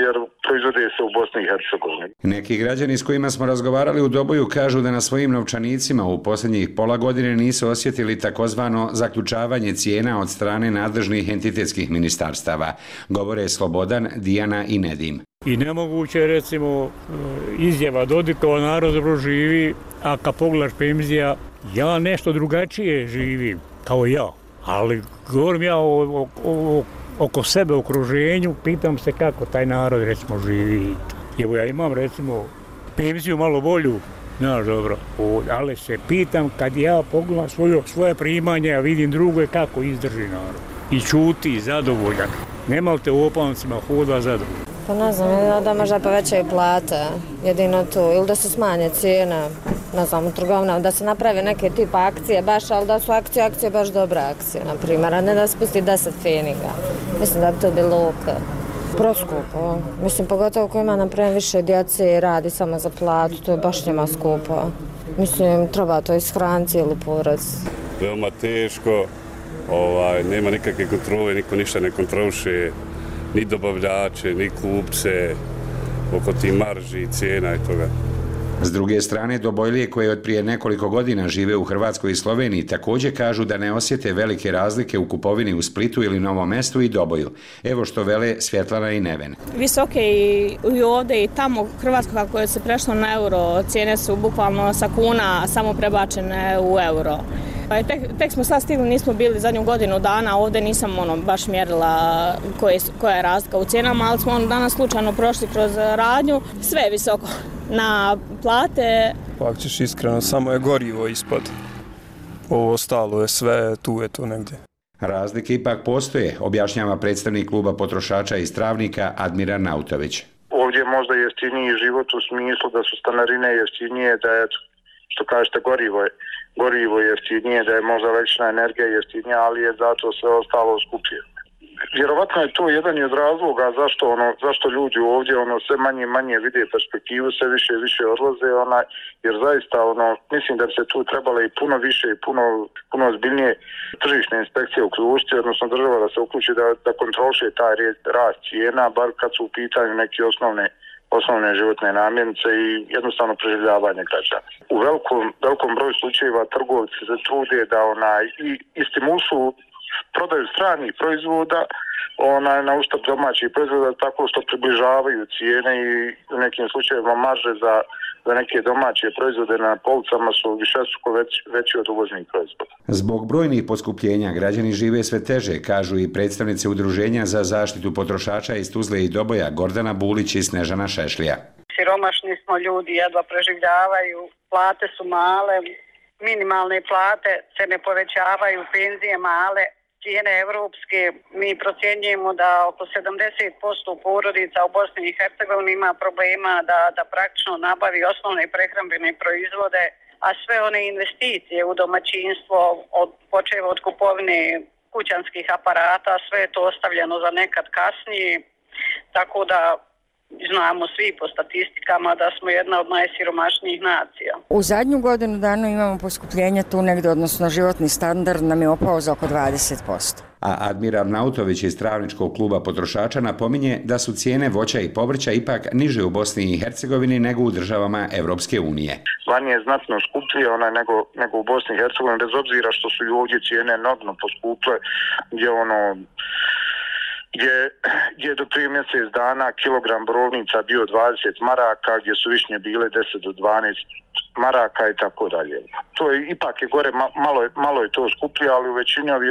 jer proizvode se u Bosni i Hercegovini. Neki građani s kojima smo razgovarali u Doboju kažu da na svojim novčanicima u posljednjih pola godine nisu osjetili takozvano zaključavanje cijena od strane nadležnih entitetskih ministarstava. Govore Slobodan, Dijana i Nedim. I nemoguće je recimo izjava Dodikova narod dobro živi, a kad pogledaš penzija, ja nešto drugačije živim, kao ja. Ali govorim ja oko sebe, okruženju, pitam se kako taj narod recimo živi. Evo ja imam recimo penziju malo bolju, znaš dobro, ali se pitam kad ja pogledam svoje primanje, a vidim drugo kako izdrži narod. I čuti, zadovoljan. Nema li te u opancima hoda zadovoljan? Pa ne znam, da možda povećaju plate, jedino to, ili da se smanje cijena, ne znam, u trgovinama, da se naprave neke tipa akcije baš, ali da su akcije baš dobra akcije, na primjer, a ne da se pusti 10 feninga. Mislim da bi to bilo ok. Proskupo, mislim, pogotovo ko ima, na primjer, više djece i radi samo za platu, to je baš njima skupo. Mislim, treba to ishraniti cijelu porodicu. Veoma teško, nema nikakve kontrole, niko ništa ne kontroliše, ni dobavljače, ni kupce, oko ti marži, cijena i toga. S druge strane, Dobojlije koje od prije nekoliko godina žive u Hrvatskoj i Sloveniji također kažu da ne osjete velike razlike u kupovini u Splitu ili Novom Mestu i Doboju. Evo što vele Svjetlana i Neven. Visoke i ovdje i tamo Hrvatska kako je se prešlo na euro, cijene su bukvalno sa kuna samo prebačene u euro. Tek smo sad stigli, nismo bili zadnju godinu dana, ovdje nisam baš mjerila koja je razlika u cijenama, ali smo danas slučajno prošli kroz radnju, sve je visoko. Na plate... Pa ako ćeš iskreno, samo je gorivo ispod. Ovo ostalo je sve, tu je to negdje. Razlike ipak postoje, objašnjava predstavnik kluba potrošača iz Travnika Admiral Nautović. Ovdje je možda jeftiniji život u smislu da su stanarine jeftinije, da je, što kažete, gorivo je jeftinije, da je možda električna energija jeftinija, ali je zato sve ostalo skupije. Vjerovatno je to jedan od razloga zašto ljudi ovdje sve manje vide perspektivu, sve više odlaze, jer zaista mislim da bi se tu trebalo i puno više i puno ozbiljnije tržišne inspekcije uključiti, odnosno država da se uključi da kontroliše taj rast cijena, bar kad su u pitanju neke osnovne životne namirnice i jednostavno preživljavanje građana. U velikom broju slučajeva trgovci se trude da i stimulišu prodaju stranih proizvoda na uštrb domaćih proizvoda tako što približavaju cijene i u nekim slučajevima marže za neke domaće proizvode na policama su višestruko veći od uvoznih proizvoda. Zbog brojnih poskupljenja građani žive sve teže, kažu i predstavnice Udruženja za zaštitu potrošača iz Tuzle i Doboja Gordana Bulić i Snežana Šešlija. Siromašni smo ljudi, jedva preživljavaju, plate su male, minimalne plate se ne povećavaju, penzije male, cijene evropske. Mi procjenjujemo da oko 70% porodica u Bosni i Hercegovini ima problema da praktično nabavi osnovne prehrambene proizvode, a sve one investicije u domaćinstvo, počev od kupovine kućanskih aparata, sve je to ostavljeno za nekad kasnije, tako da znamo svi po statistikama da smo jedna od najsiromašnijih nacija. U zadnju godinu dana imamo poskupljenje tu negdje, odnosno životni standard nam je opao za oko 20%. A Admiral Nautović iz Travničkog kluba potrošača napominje da su cijene voća i povrća ipak niže u Bosni i Hercegovini nego u državama Evropske unije. Vanje je znatno skuplje nego u Bosni i Hercegovini, bez obzira što su i ovdje cijene enormno poskuple, gdje je do prije mjesec dana kilogram borovnica bio 20 maraka, gdje su višnje bile 10 do 12 maraka i tako dalje. To je ipak je gore, malo je to skuplje, ali u većini ovih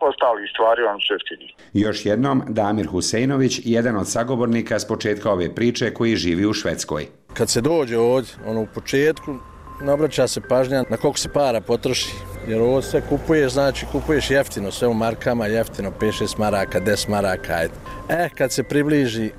ostalih stvari on su jeftiniji. Još jednom, Damir Husejnović, jedan od sagovornika s početka ove priče koji živi u Švedskoj. Kad se dođe ovdje, u početku, nabraća se pažnja na koliko se para potroši. Jer ovo sve kupuješ, znači kupuješ jeftino, sve u markama, jeftino, 5-6 maraka, 10 maraka, ajde. Kad se približi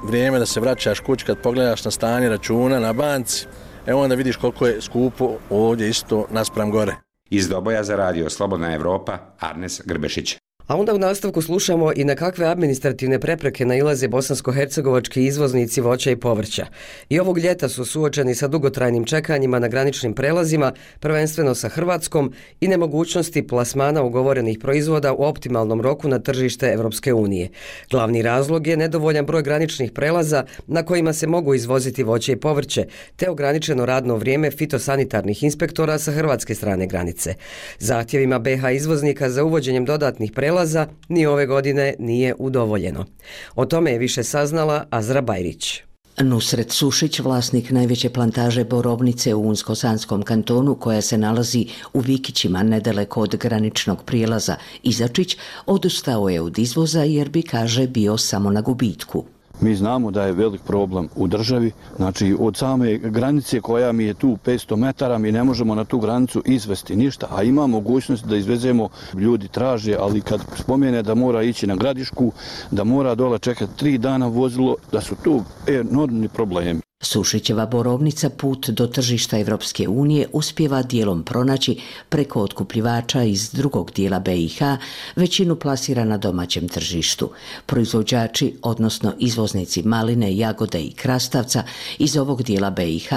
vrijeme da se vraćaš kući, kad pogledaš na stanje računa na banci, onda vidiš koliko je skupo ovdje isto naspram gore. Iz Doboja za radio Slobodna Evropa, Arnes Grbešić. A onda u nastavku slušamo i na kakve administrativne prepreke nailaze bosansko-hercegovački izvoznici voća i povrća. I ovog ljeta su suočeni sa dugotrajnim čekanjima na graničnim prelazima, prvenstveno sa Hrvatskom, i nemogućnosti plasmana ugovorenih proizvoda u optimalnom roku na tržište Evropske unije. Glavni razlog je nedovoljan broj graničnih prelaza na kojima se mogu izvoziti voće i povrće, te ograničeno radno vrijeme fitosanitarnih inspektora sa hrvatske strane granice. Zahtjevima BH izvoznika za uvođenjem dodatnih prelaza prijelaza ni ove godine nije udovoljeno. O tome je više saznala Azra Bajrić. Nusret Sušić, vlasnik najveće plantaže borovnice u Unsko-Sanskom kantonu koja se nalazi u Vikićima nedaleko od graničnog prijelaza Izačić, odustao je od izvoza jer bi, kaže, bio samo na gubitku. Mi znamo da je velik problem u državi, znači od same granice koja mi je tu 500 metara mi ne možemo na tu granicu izvesti ništa, a ima mogućnost da izvezemo, ljudi traže, ali kad spomene da mora ići na Gradišku, da mora dole čekati 3 dana vozilo, da su tu enormni problemi. Sušićeva borovnica put do tržišta Evropske unije uspjeva dijelom pronaći preko otkupljivača iz drugog dijela BiH, većinu plasira na domaćem tržištu. Proizvođači, odnosno izvoznici maline, jagode i krastavca iz ovog dijela BiH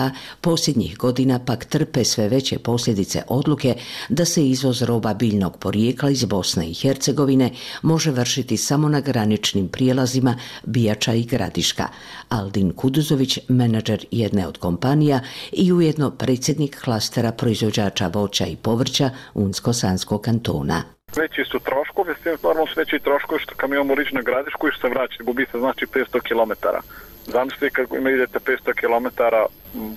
posljednjih godina pak trpe sve veće posljedice odluke da se izvoz roba biljnog porijekla iz Bosne i Hercegovine može vršiti samo na graničnim prijelazima Bijača i Gradiška. Aldin Kuduzović, menadžer jedne od kompanija i ujedno predsjednik klastera proizvođača voća i povrća Unsko-Sanskog kantona. Veći su troškovi, s tim normalno su veći troškovi što kamion mora ići na Gradišku i što se vraća, gubi se znači 500 km. Zamislite kad idete 500 km,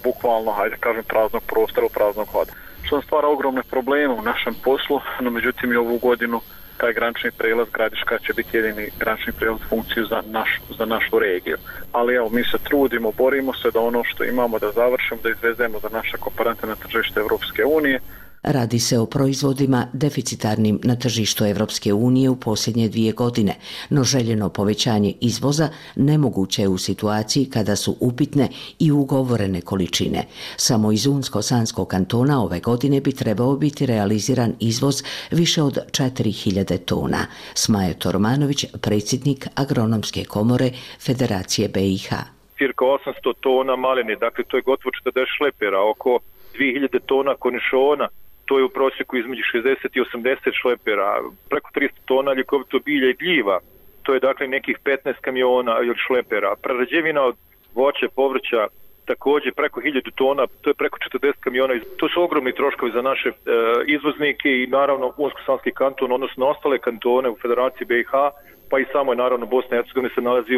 bukvalno, hajde kažem, praznog prostora, praznog hoda. Što nam stvara ogromne probleme u našem poslu, no međutim i ovu godinu taj granični prijelaz Gradiška će biti jedini granični prijelaz funkciju za našu regiju. Ali evo, mi se trudimo, borimo se da ono što imamo da završimo, da izvezemo za naše komponente na tržište Evropske unije. Radi se o proizvodima deficitarnim na tržištu Evropske unije u posljednje 2 godine, no željeno povećanje izvoza nemoguće je u situaciji kada su upitne i ugovorene količine. Samo iz Unsko-Sanskog kantona ove godine bi trebao biti realiziran izvoz više od 4000 tona. Smajo Tormanović, predsjednik Agronomske komore Federacije BiH. Cirka 800 tona maline, dakle to je gotovo 40 šlepera, oko 2000 tona konišona, to je u prosjeku između 60 i 80 šlepera, preko 300 tona ljekovito bilja i gljiva, to je dakle nekih 15 kamiona ili šlepera. Prerađevina od voća, povrća, također preko 1000 tona, to je preko 40 kamiona. To su ogromni troškovi za naše izvoznike i naravno Unsko-Sanski kanton, odnosno ostale kantone u Federaciji BiH, pa i samo je naravno Bosna i Hercegovina se nalazi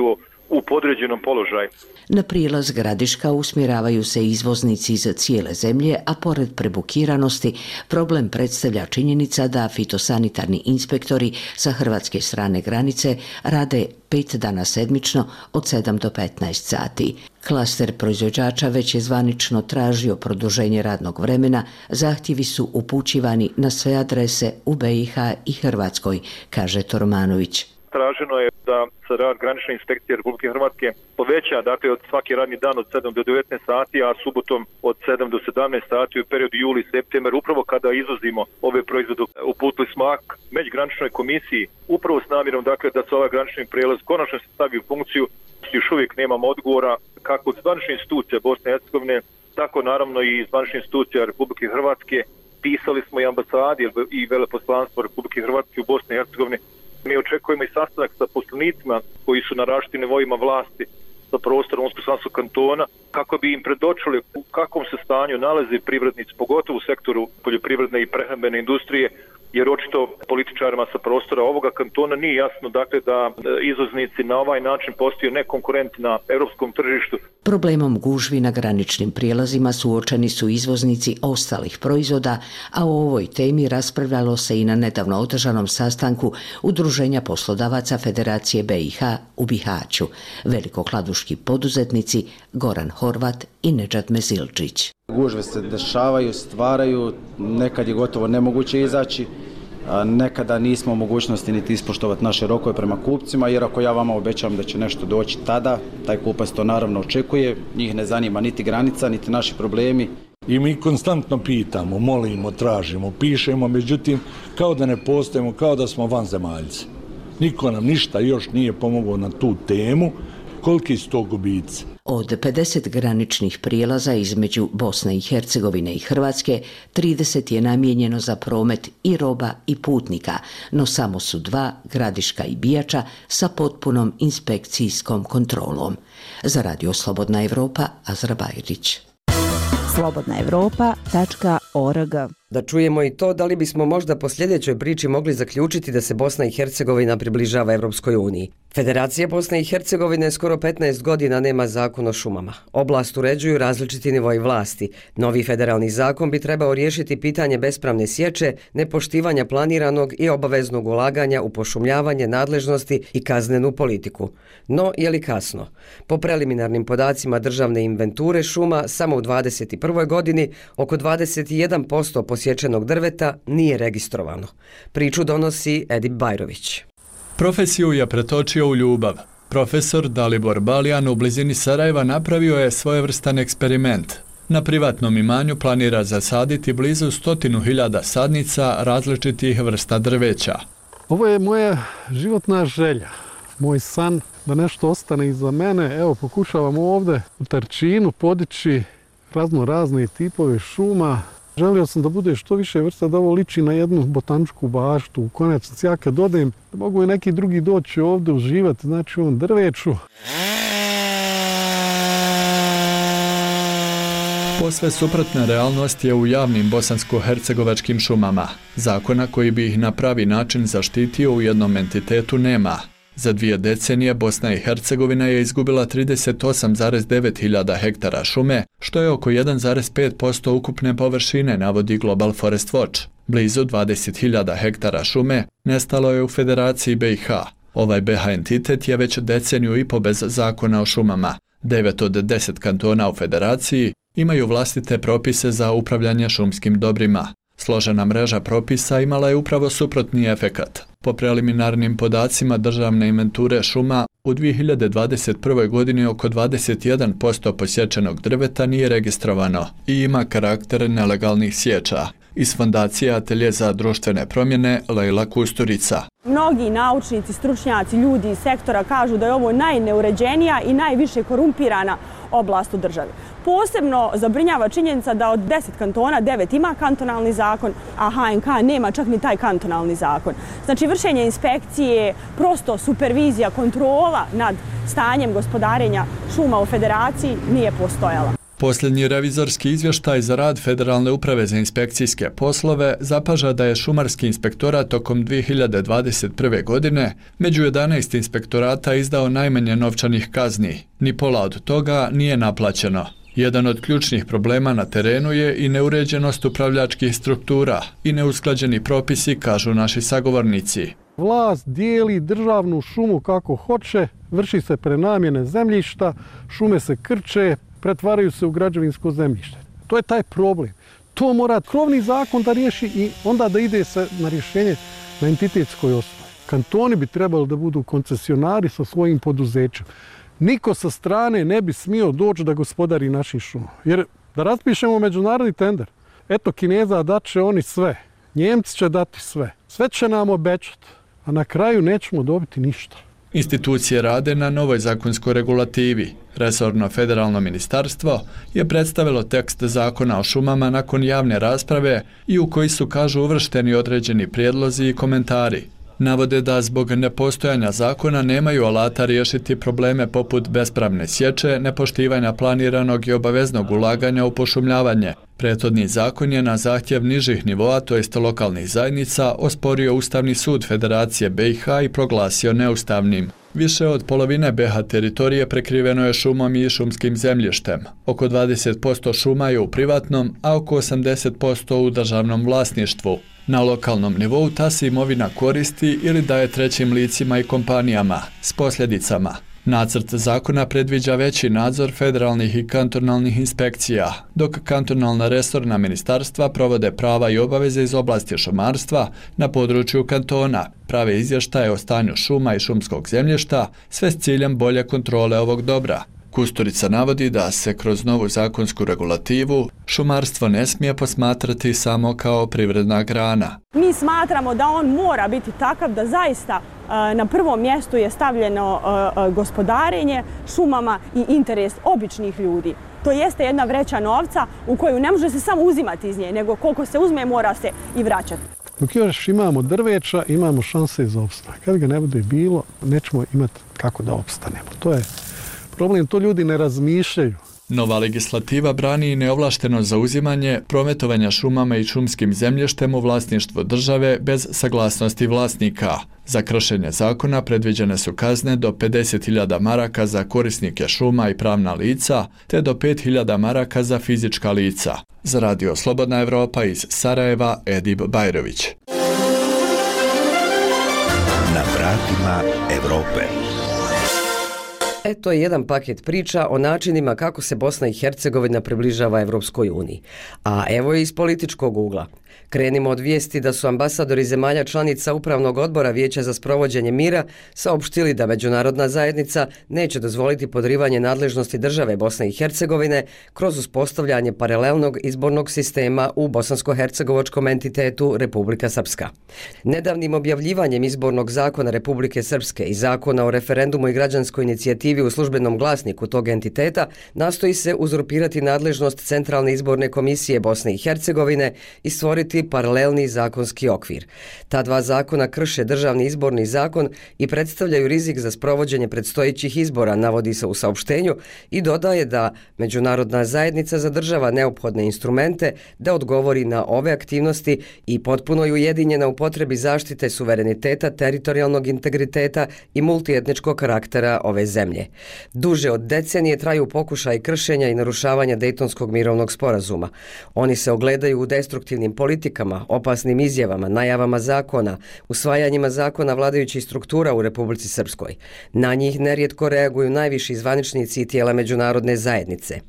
u podređenom položaju. Na prijelaz Gradiška usmjeravaju se izvoznici iz cijele zemlje, a pored prebukiranosti problem predstavlja činjenica da fitosanitarni inspektori sa hrvatske strane granice rade 5 dana sedmično od 7 do 15 sati. Klaster proizvođača već je zvanično tražio produženje radnog vremena, zahtjevi su upućivani na sve adrese u BiH i Hrvatskoj, kaže Tormanović. Traženo je da se rad granične inspekcije Republike Hrvatske poveća, dakle od svaki radni dan od 7 do 19 sati, a subotom od 7 do 17 sati u periodu juli-september, upravo kada izvozimo ove proizvode. Uputili smo akt međugraničnoj komisiji, upravo s namjerom dakle da se ovaj granični prijelaz konačno se stavi u funkciju. Još uvijek nemamo odgovora kako od zvaničnih institucija Bosne i Hercegovine, tako naravno i zvaničnih institucija Republike Hrvatske. Pisali smo i ambasadi i veleposlanstvo Republike Hrvatske u Bosni i Hercegovini. Mi očekujemo i sastanak sa poslanicima koji su na različitim nivoima vlasti sa prostora Unsko-Sanskog kantona kako bi im predočili u kakvom se stanju nalaze privrednici, pogotovo u sektoru poljoprivredne i prehrambene industrije, jer očito političarima sa prostora ovoga kantona nije jasno dakle da izvoznici na ovaj način postaju nekonkurentni na europskom tržištu. Problemom gužvi na graničnim prijelazima suočeni su izvoznici ostalih proizvoda, a o ovoj temi raspravljalo se i na nedavno održanom sastanku Udruženja poslodavaca Federacije BiH u Bihaću. Velikokladuški poduzetnici Goran Horvat i Nedžad Mezilčić. Gužve se dešavaju, stvaraju, nekad je gotovo nemoguće izaći, nekada nismo u mogućnosti niti ispoštovati naše rokove prema kupcima, jer ako ja vama obećam da će nešto doći tada, taj kupac to naravno očekuje, njih ne zanima niti granica, niti naši problemi. I mi konstantno pitamo, molimo, tražimo, pišemo, međutim kao da ne postojimo, kao da smo vanzemaljci. Niko nam ništa još nije pomogao na tu temu, koliki su to gubici. Od 50 graničnih prijelaza između Bosne i Hercegovine i Hrvatske, 30 je namijenjeno za promet i roba i putnika, no samo su 2, Gradiška i Bijača, sa potpunom inspekcijskom kontrolom. Za Radio Slobodna Evropa, Azra Bajrić. slobodnaevropa.org. Da čujemo i to da li bismo možda po sljedećoj priči mogli zaključiti da se Bosna i Hercegovina približava Evropskoj uniji. Federacija Bosne i Hercegovine skoro 15 godina nema zakon o šumama. Oblast uređuju različiti nivoji vlasti. Novi federalni zakon bi trebao riješiti pitanje bespravne sječe, nepoštivanja planiranog i obaveznog ulaganja u pošumljavanje, nadležnosti i kaznenu politiku. No, je li kasno? Po preliminarnim podacima državne inventure šuma, samo u 2021. godini oko 21% posječenog drveta nije registrovano. Priču donosi Edip Bajrović. Profesiju je pretočio u ljubav. Profesor Dalibor Baljan u blizini Sarajeva napravio je svojevrstan eksperiment. Na privatnom imanju planira zasaditi blizu 100.000 sadnica različitih vrsta drveća. Ovo je moja životna želja, moj san da nešto ostane iza mene. Evo, pokušavam ovdje u Tarčinu podići razne tipove šuma. Želio sam da bude što više vrsta, da ovo liči na jednu botaničku baštu. U konačnici, ja kad odem, da mogu i neki drugi doći ovdje uživati, znači u ovom drveću. Posve suprotna realnost je u javnim bosansko-hercegovačkim šumama. Zakona koji bi ih na pravi način zaštitio u jednom entitetu nema. Za 2 decenije Bosna i Hercegovina je izgubila 38,9 hiljada hektara šume, što je oko 1,5% ukupne površine, navodi Global Forest Watch. Blizu 20.000 hektara šume nestalo je u Federaciji BiH. Ovaj BiH entitet je već deceniju i po bez zakona o šumama. 9 od 10 kantona u Federaciji imaju vlastite propise za upravljanje šumskim dobrima. Složena mreža propisa imala je upravo suprotni efekat. Po preliminarnim podacima državne inventure šuma, u 2021. godini oko 21% posječenog drveta nije registrovano i ima karakter nelegalnih sječa. Iz Fondacije Atelje za društvene promjene Lejla Kusturica. Mnogi naučnici, stručnjaci, ljudi iz sektora kažu da je ovo najneuređenija i najviše korumpirana oblast u državi. Posebno zabrinjava činjenica da od 10 kantona 9 ima kantonalni zakon, a HNK nema čak ni taj kantonalni zakon. Znači vršenje inspekcije, prosto supervizija, kontrola nad stanjem gospodarenja šuma u Federaciji nije postojala. Posljednji revizorski izvještaj za rad Federalne uprave za inspekcijske poslove zapaža da je šumarski inspektorat tokom 2021. godine među 11 inspektorata izdao najmanje novčanih kazni. Ni pola od toga nije naplaćeno. Jedan od ključnih problema na terenu je i neuređenost upravljačkih struktura i neusklađeni propisi, kažu naši sagovornici. Vlast dijeli državnu šumu kako hoće, vrši se prenamjene zemljišta, šume se krče, pretvaraju se u građevinsko zemljište. To je taj problem. To mora krovni zakon da riješi i onda da ide se na rješenje na entitetskoj osnovi. Kantoni bi trebali da budu koncesionari sa svojim poduzećem. Niko sa strane ne bi smio doći da gospodari našim šumom. Jer da raspišemo međunarodni tender, eto Kineza dat će oni sve, Njemci će dati sve, sve će nam obećati, a na kraju nećemo dobiti ništa. Institucije rade na novoj zakonskoj regulativi. Resorno federalno ministarstvo je predstavilo tekst zakona o šumama nakon javne rasprave i u koji su, kažu, uvršteni određeni prijedlozi i komentari. Navode da zbog nepostojanja zakona nemaju alata riješiti probleme poput bespravne sječe, nepoštivanja planiranog i obaveznog ulaganja u pošumljavanje. Prethodni zakon je na zahtjev nižih nivoa, to jest lokalnih zajednica, osporio Ustavni sud Federacije BiH i proglasio neustavnim. Više od polovine BiH teritorije prekriveno je šumom i šumskim zemljištem. Oko 20% šuma je u privatnom, a oko 80% u državnom vlasništvu. Na lokalnom nivou ta se imovina koristi ili daje trećim licima i kompanijama, s posljedicama. Nacrt zakona predviđa veći nadzor federalnih i kantonalnih inspekcija, dok kantonalna resorna ministarstva provode prava i obaveze iz oblasti šumarstva na području kantona, prave izvještaje o stanju šuma i šumskog zemljišta, sve s ciljem bolje kontrole ovog dobra. Kusturica navodi da se kroz novu zakonsku regulativu šumarstvo ne smije posmatrati samo kao privredna grana. Mi smatramo da on mora biti takav da zaista na prvom mjestu je stavljeno gospodarenje šumama i interes običnih ljudi. To jeste jedna vreća novca u koju ne može se samo uzimati iz nje, nego koliko se uzme mora se i vraćati. Dok još imamo drveća, imamo šanse za opstanak. Kad ga ne bude bilo, nećemo imati kako da opstanemo. To je problem, to ljudi ne razmišljaju. Nova legislativa brani i neovlašteno zauzimanje prometovanja šumama i šumskim zemljištem u vlasništvu države bez saglasnosti vlasnika. Za kršenje zakona predviđene su kazne do 50.000 maraka za korisnike šuma i pravna lica, te do 5.000 maraka za fizička lica. Za Radio Slobodna Evropa iz Sarajeva, Edib Bajrović. Na vratima Evrope. To je jedan paket priča o načinima kako se Bosna i Hercegovina približava Evropskoj uniji. A evo je iz političkog ugla. Krenimo od vijesti da su ambasadori zemalja članica Upravnog odbora Vijeća za sprovođenje mira saopštili da međunarodna zajednica neće dozvoliti podrivanje nadležnosti države Bosne i Hercegovine kroz uspostavljanje paralelnog izbornog sistema u bosansko-hercegovačkom entitetu Republika Srpska. Nedavnim objavljivanjem izbornog zakona Republike Srpske i zakona o referendumu i građanskoj inicijativi u službenom glasniku tog entiteta nastoji se uzurpirati nadležnost Centralne izborne komisije Bosne i Hercegovine i stvoriti paralelni zakonski okvir. Ta dva zakona krše državni izborni zakon i predstavljaju rizik za sprovođenje predstojećih izbora, navodi se u saopštenju, i dodaje da međunarodna zajednica zadržava neophodne instrumente da odgovori na ove aktivnosti i potpuno je ujedinjena u potrebi zaštite suvereniteta, teritorijalnog integriteta i multietničkog karaktera ove zemlje. Duže od decenije traju pokušaj kršenja i narušavanja Dejtonskog mirovnog sporazuma. Oni se ogledaju u destruktivnim politikama, opasnim izjavama, najavama zakona, usvajanjima zakona vladajućih struktura u Republici Srpskoj. Na njih nerijetko reaguju najviši zvaničnici i tijela međunarodne zajednice.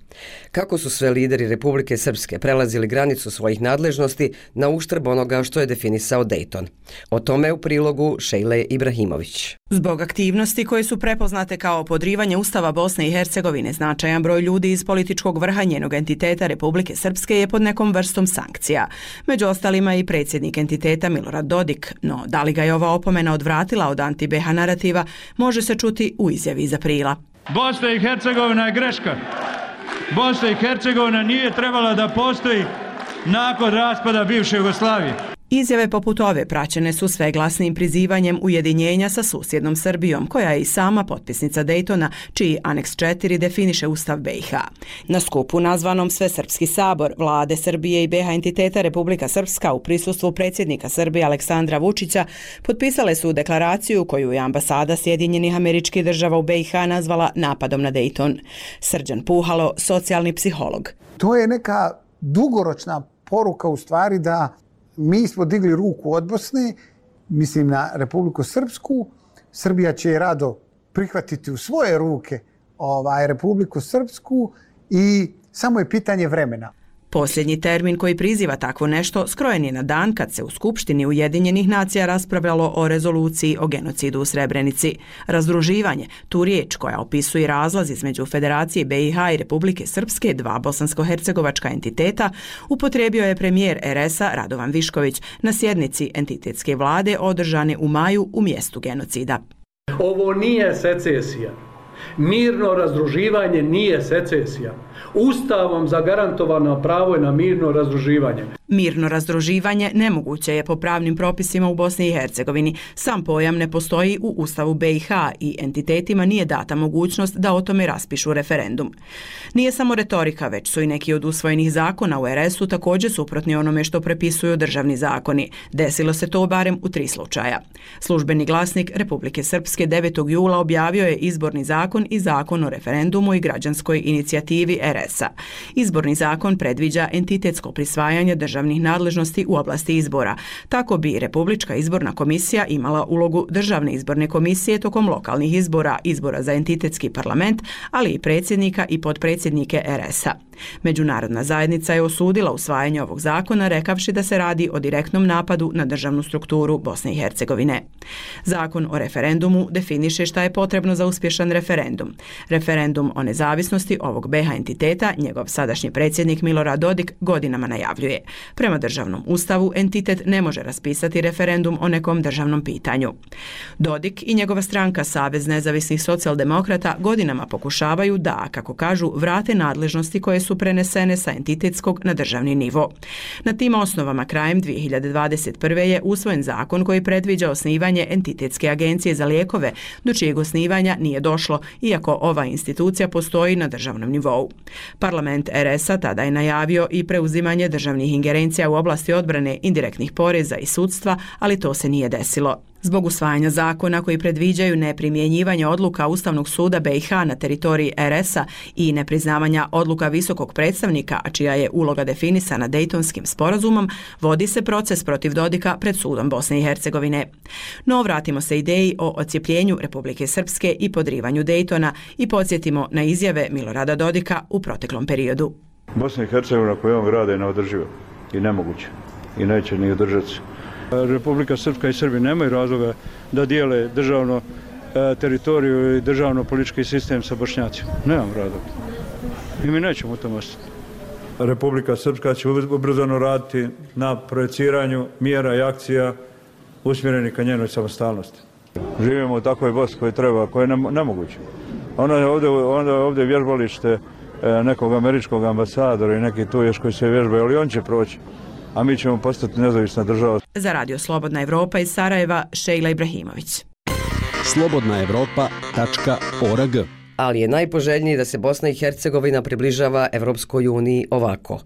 Kako su sve lideri Republike Srpske prelazili granicu svojih nadležnosti na uštrb onoga što je definisao Dejton? O tome u prilogu Šejle Ibrahimović. Zbog aktivnosti koje su prepoznate kao podrivanje Ustava Bosne i Hercegovine, značajan broj ljudi iz političkog vrha njenog entiteta Republike Srpske je pod nekom vrstom sankcija. Među ostalima i predsjednik entiteta Milorad Dodik, no da li ga je ova opomena odvratila od anti-BH narativa, može se čuti u izjavi iz aprila. Bosna i Hercegovina je greška. Bosna i Hercegovina nije trebala da postoji nakon raspada bivše Jugoslavije. Izjave poput ove praćene su sveglasnim prizivanjem ujedinjenja sa susjednom Srbijom, koja je i sama potpisnica Dejtona, čiji aneks 4 definiše Ustav BiH. Na skupu nazvanom Svesrpski sabor vlade Srbije i BiH entiteta Republika Srpska u prisustvu predsjednika Srbije Aleksandra Vučića potpisale su deklaraciju koju je ambasada Sjedinjenih Američkih Država u BiH nazvala napadom na Dejton. Srđan Puhalo, socijalni psiholog. To je neka dugoročna poruka u stvari da mi smo digli ruku od Bosne, mislim na Republiku Srpsku. Srbija će rado prihvatiti u svoje ruke Republiku Srpsku i samo je pitanje vremena. Posljednji termin koji priziva takvo nešto skrojen je na dan kad se u Skupštini Ujedinjenih nacija raspravljalo o rezoluciji o genocidu u Srebrenici. Razdruživanje, tu riječ koja opisuje razlaz između Federacije BiH i Republike Srpske, dva bosansko-hercegovačka entiteta, upotrijebio je premijer RS-a Radovan Višković na sjednici entitetske vlade održane u maju u mjestu genocida. Ovo nije secesija. Mirno razdruživanje nije secesija. Ustavom zagarantovano pravo je na mirno razdruživanje. Mirno razdruživanje nemoguće je po pravnim propisima u Bosni i Hercegovini. Sam pojam ne postoji u Ustavu BiH i entitetima nije data mogućnost da o tome raspišu referendum. Nije samo retorika, već su i neki od usvojenih zakona u RS-u također suprotni onome što prepisuju državni zakoni. Desilo se to barem u 3 slučaja. Službeni glasnik Republike Srpske 9. jula objavio je izborni zakon i zakon o referendumu i građanskoj inicijativi RS-a. Izborni zakon predviđa entitetsko prisvajanje državnih nadležnosti u oblasti izbora. Tako bi Republička izborna komisija imala ulogu državne izborne komisije tokom lokalnih izbora, izbora za entitetski parlament, ali i predsjednika i potpredsjednike RS-a. Međunarodna zajednica je osudila usvajanje ovog zakona rekavši da se radi o direktnom napadu na državnu strukturu Bosne i Hercegovine. Zakon o referendumu definiše šta je potrebno za uspješan referendum. Referendum o nezavisnosti ovog BiH entiteta njegov sadašnji predsjednik Milorad Dodik godinama najavljuje. Prema državnom ustavu entitet ne može raspisati referendum o nekom državnom pitanju. Dodik i njegova stranka Savez nezavisnih socijaldemokrata godinama pokušavaju da, kako kažu, vrate nadležnosti koje su prenesene sa entitetskog na državni nivo. Na tim osnovama krajem 2021. je usvojen zakon koji predviđa osnivanje entitetske agencije za lijekove, do čijeg osnivanja nije došlo, iako ova institucija postoji na državnom nivou. Parlament RS-a tada je najavio i preuzimanje državnih ingerencija u oblasti odbrane, indirektnih poreza i sudstva, ali to se nije desilo. Zbog usvajanja zakona koji predviđaju neprimjenjivanje odluka Ustavnog suda BiH na teritoriji RS-a i nepriznavanja odluka visokog predstavnika, a čija je uloga definisana Dejtonskim sporazumom, vodi se proces protiv Dodika pred sudom Bosne i Hercegovine. No, vratimo se ideji o odcijepljenju Republike Srpske i podrivanju Dejtona i podsjetimo na izjave Milorada Dodika u proteklom periodu. Bosna i Hercegovina koju on grade je neodrživa i nemoguće i neće ni održati se. Republika Srpska i Srbi nemaju razloga da dijele državno teritoriju i državno politički sistem sa Bošnjacima. Nemam razloga. I mi nećemo u tom ostati. Republika Srpska će ubrzano raditi na projeciranju mjera i akcija usmjerenih ka njenoj samostalnosti. Živimo u takvoj Bosni koji treba, koja je nemoguće. Onda je ovdje vježbalište nekog američkog ambasadora i neki tu još koji se vježbaju, ali on će proći. A mi ćemo postati nezavisna država. Za Radio Slobodna Evropa iz Sarajeva, Šejla Ibrahimović. slobodnaevropa.org. Ali je najpoželjniji da se Bosna i Hercegovina približava Evropskoj uniji ovako.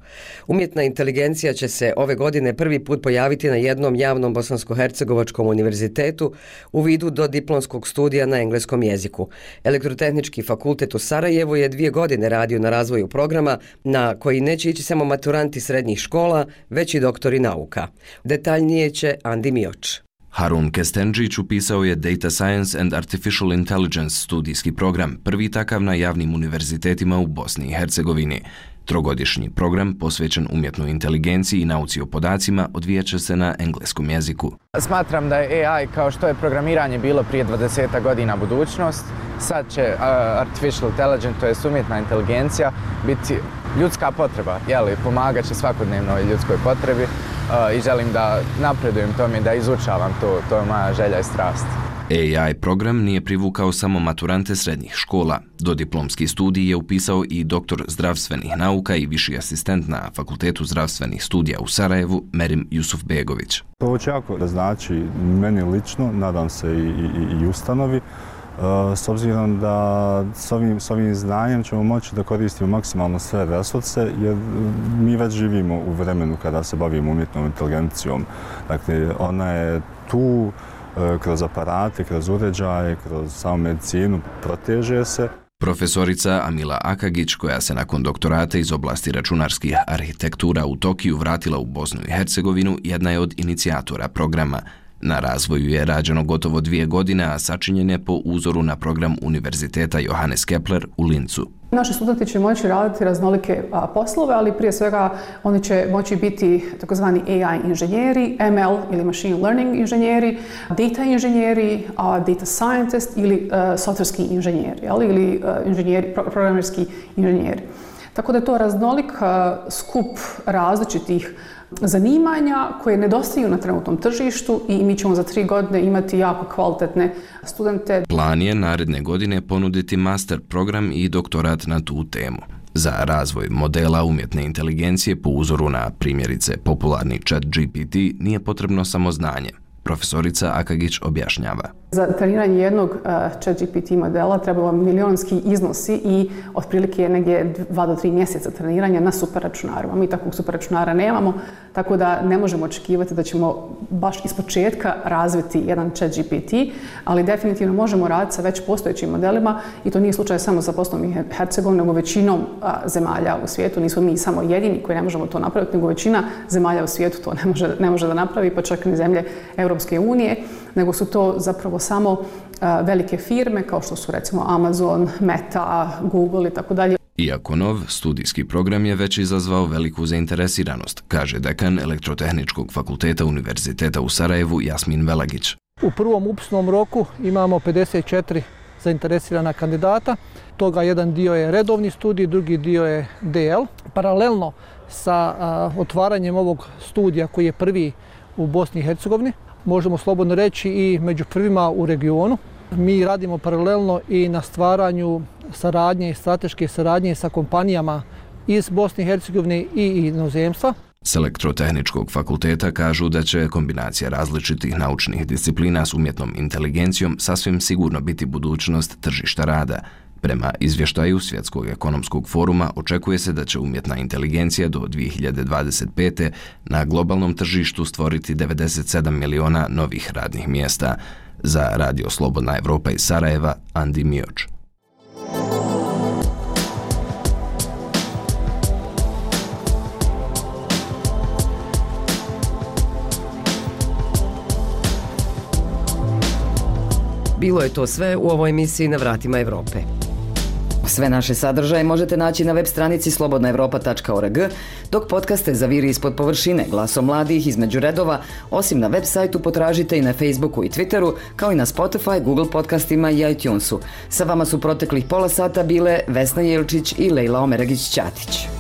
Umjetna inteligencija će se ove godine prvi put pojaviti na jednom javnom bosansko-hercegovačkom univerzitetu u vidu dodiplomskog studija na engleskom jeziku. Elektrotehnički fakultet u Sarajevu je 2 godine radio na razvoju programa na koji neće ići samo maturanti srednjih škola, već i doktori nauka. Detaljnije će Andi Mioč. Harun Kestenđić upisao je Data Science and Artificial Intelligence studijski program, prvi takav na javnim univerzitetima u Bosni i Hercegovini. Trogodišnji program posvećen umjetnoj inteligenciji i nauci o podacima odvijat će se na engleskom jeziku. Smatram da je AI, kao što je programiranje bilo prije 20 godina, budućnost. Sad će artificial intelligence, to je umjetna inteligencija, biti ljudska potreba, pomagat će svakodnevnoj ljudskoj potrebi i želim da napredujem tome, da izučavam to je moja želja i strast. AI program nije privukao samo maturante srednjih škola. Dodiplomski studij je upisao i doktor zdravstvenih nauka i viši asistent na Fakultetu zdravstvenih studija u Sarajevu, Merim Jusufbegović. To će jako da znači meni lično, nadam se i ustanovi, s obzirom da s ovim znanjem ćemo moći da koristimo maksimalno sve resurse, jer mi već živimo u vremenu kada se bavimo umjetnom inteligencijom. Dakle, ona je tu kroz aparate, kroz uređaje, kroz samu medicinu, proteže se. Profesorica Amila Akagić, koja se nakon doktorata iz oblasti računarskih arhitektura u Tokiju vratila u Bosnu i Hercegovinu, jedna je od inicijatora programa. Na razvoju je rađeno gotovo 2 godine, a sačinjen je po uzoru na program Univerziteta Johannes Kepler u Lincu. Naši studenti će moći raditi raznolike poslove, ali prije svega oni će moći biti takozvani AI inženjeri, ML ili machine learning inženjeri, data inženjeri, data scientist ili softverski inženjeri, ili inženjeri, programerski inženjeri. Tako da je to raznolik skup različitih zanimanja koje nedostaju na trenutnom tržištu i mi ćemo za 3 godine imati jako kvalitetne studente. Plan je naredne godine ponuditi master program i doktorat na tu temu. Za razvoj modela umjetne inteligencije po uzoru na primjerice popularni ChatGPT nije potrebno samo znanje. Profesorica Akagić objašnjava. Za treniranje jednog ChatGPT modela trebalo milionski iznosi i otprilike je negdje 2 do 3 mjeseca treniranja na superračunaru. Mi takvog superračunara nemamo, tako da ne možemo očekivati da ćemo baš ispočetka razviti jedan ChatGPT, ali definitivno možemo raditi sa već postojećim modelima i to nije slučaj samo za Bosnom i Hercegovinom, nego većinom zemalja u svijetu. Nismo mi samo jedini koji ne možemo to napraviti, nego većina zemalja u svijetu to ne može da napravi, pa čak ni zemlje Europske unije, nego su to zapravo samo velike firme kao što su recimo Amazon, Meta, Google i tako dalje. Iako nov, studijski program je već izazvao veliku zainteresiranost, kaže dekan Elektrotehničkog fakulteta Univerziteta u Sarajevu Jasmin Velagić. U prvom upisnom roku imamo 54 zainteresirana kandidata. Toga jedan dio je redovni studij, drugi dio je DL. Paralelno sa otvaranjem ovog studija koji je prvi u Bosni i Hercegovini, možemo slobodno reći i među prvima u regionu. Mi radimo paralelno i na stvaranju saradnje i strateške saradnje sa kompanijama iz Bosne i Hercegovine i inozemstva. S Elektrotehničkog fakulteta kažu da će kombinacija različitih naučnih disciplina s umjetnom inteligencijom sasvim sigurno biti budućnost tržišta rada. Prema izvještaju Svjetskog ekonomskog foruma očekuje se da će umjetna inteligencija do 2025. na globalnom tržištu stvoriti 97 miliona novih radnih mjesta. Za Radio Slobodna Evropa iz Sarajeva, Andi Mioč. Bilo je to sve u ovoj emisiji Na vratima Evrope. Sve naše sadržaje možete naći na web stranici slobodnaevropa.org, dok podcaste Zaviri ispod površine, Glasom mladih, Između redova, osim na web sajtu potražite i na Facebooku i Twitteru, kao i na Spotify, Google podcastima i iTunesu. Sa vama su proteklih pola sata bile Vesna Jelčić i Lejla Omeragić-Ćatić.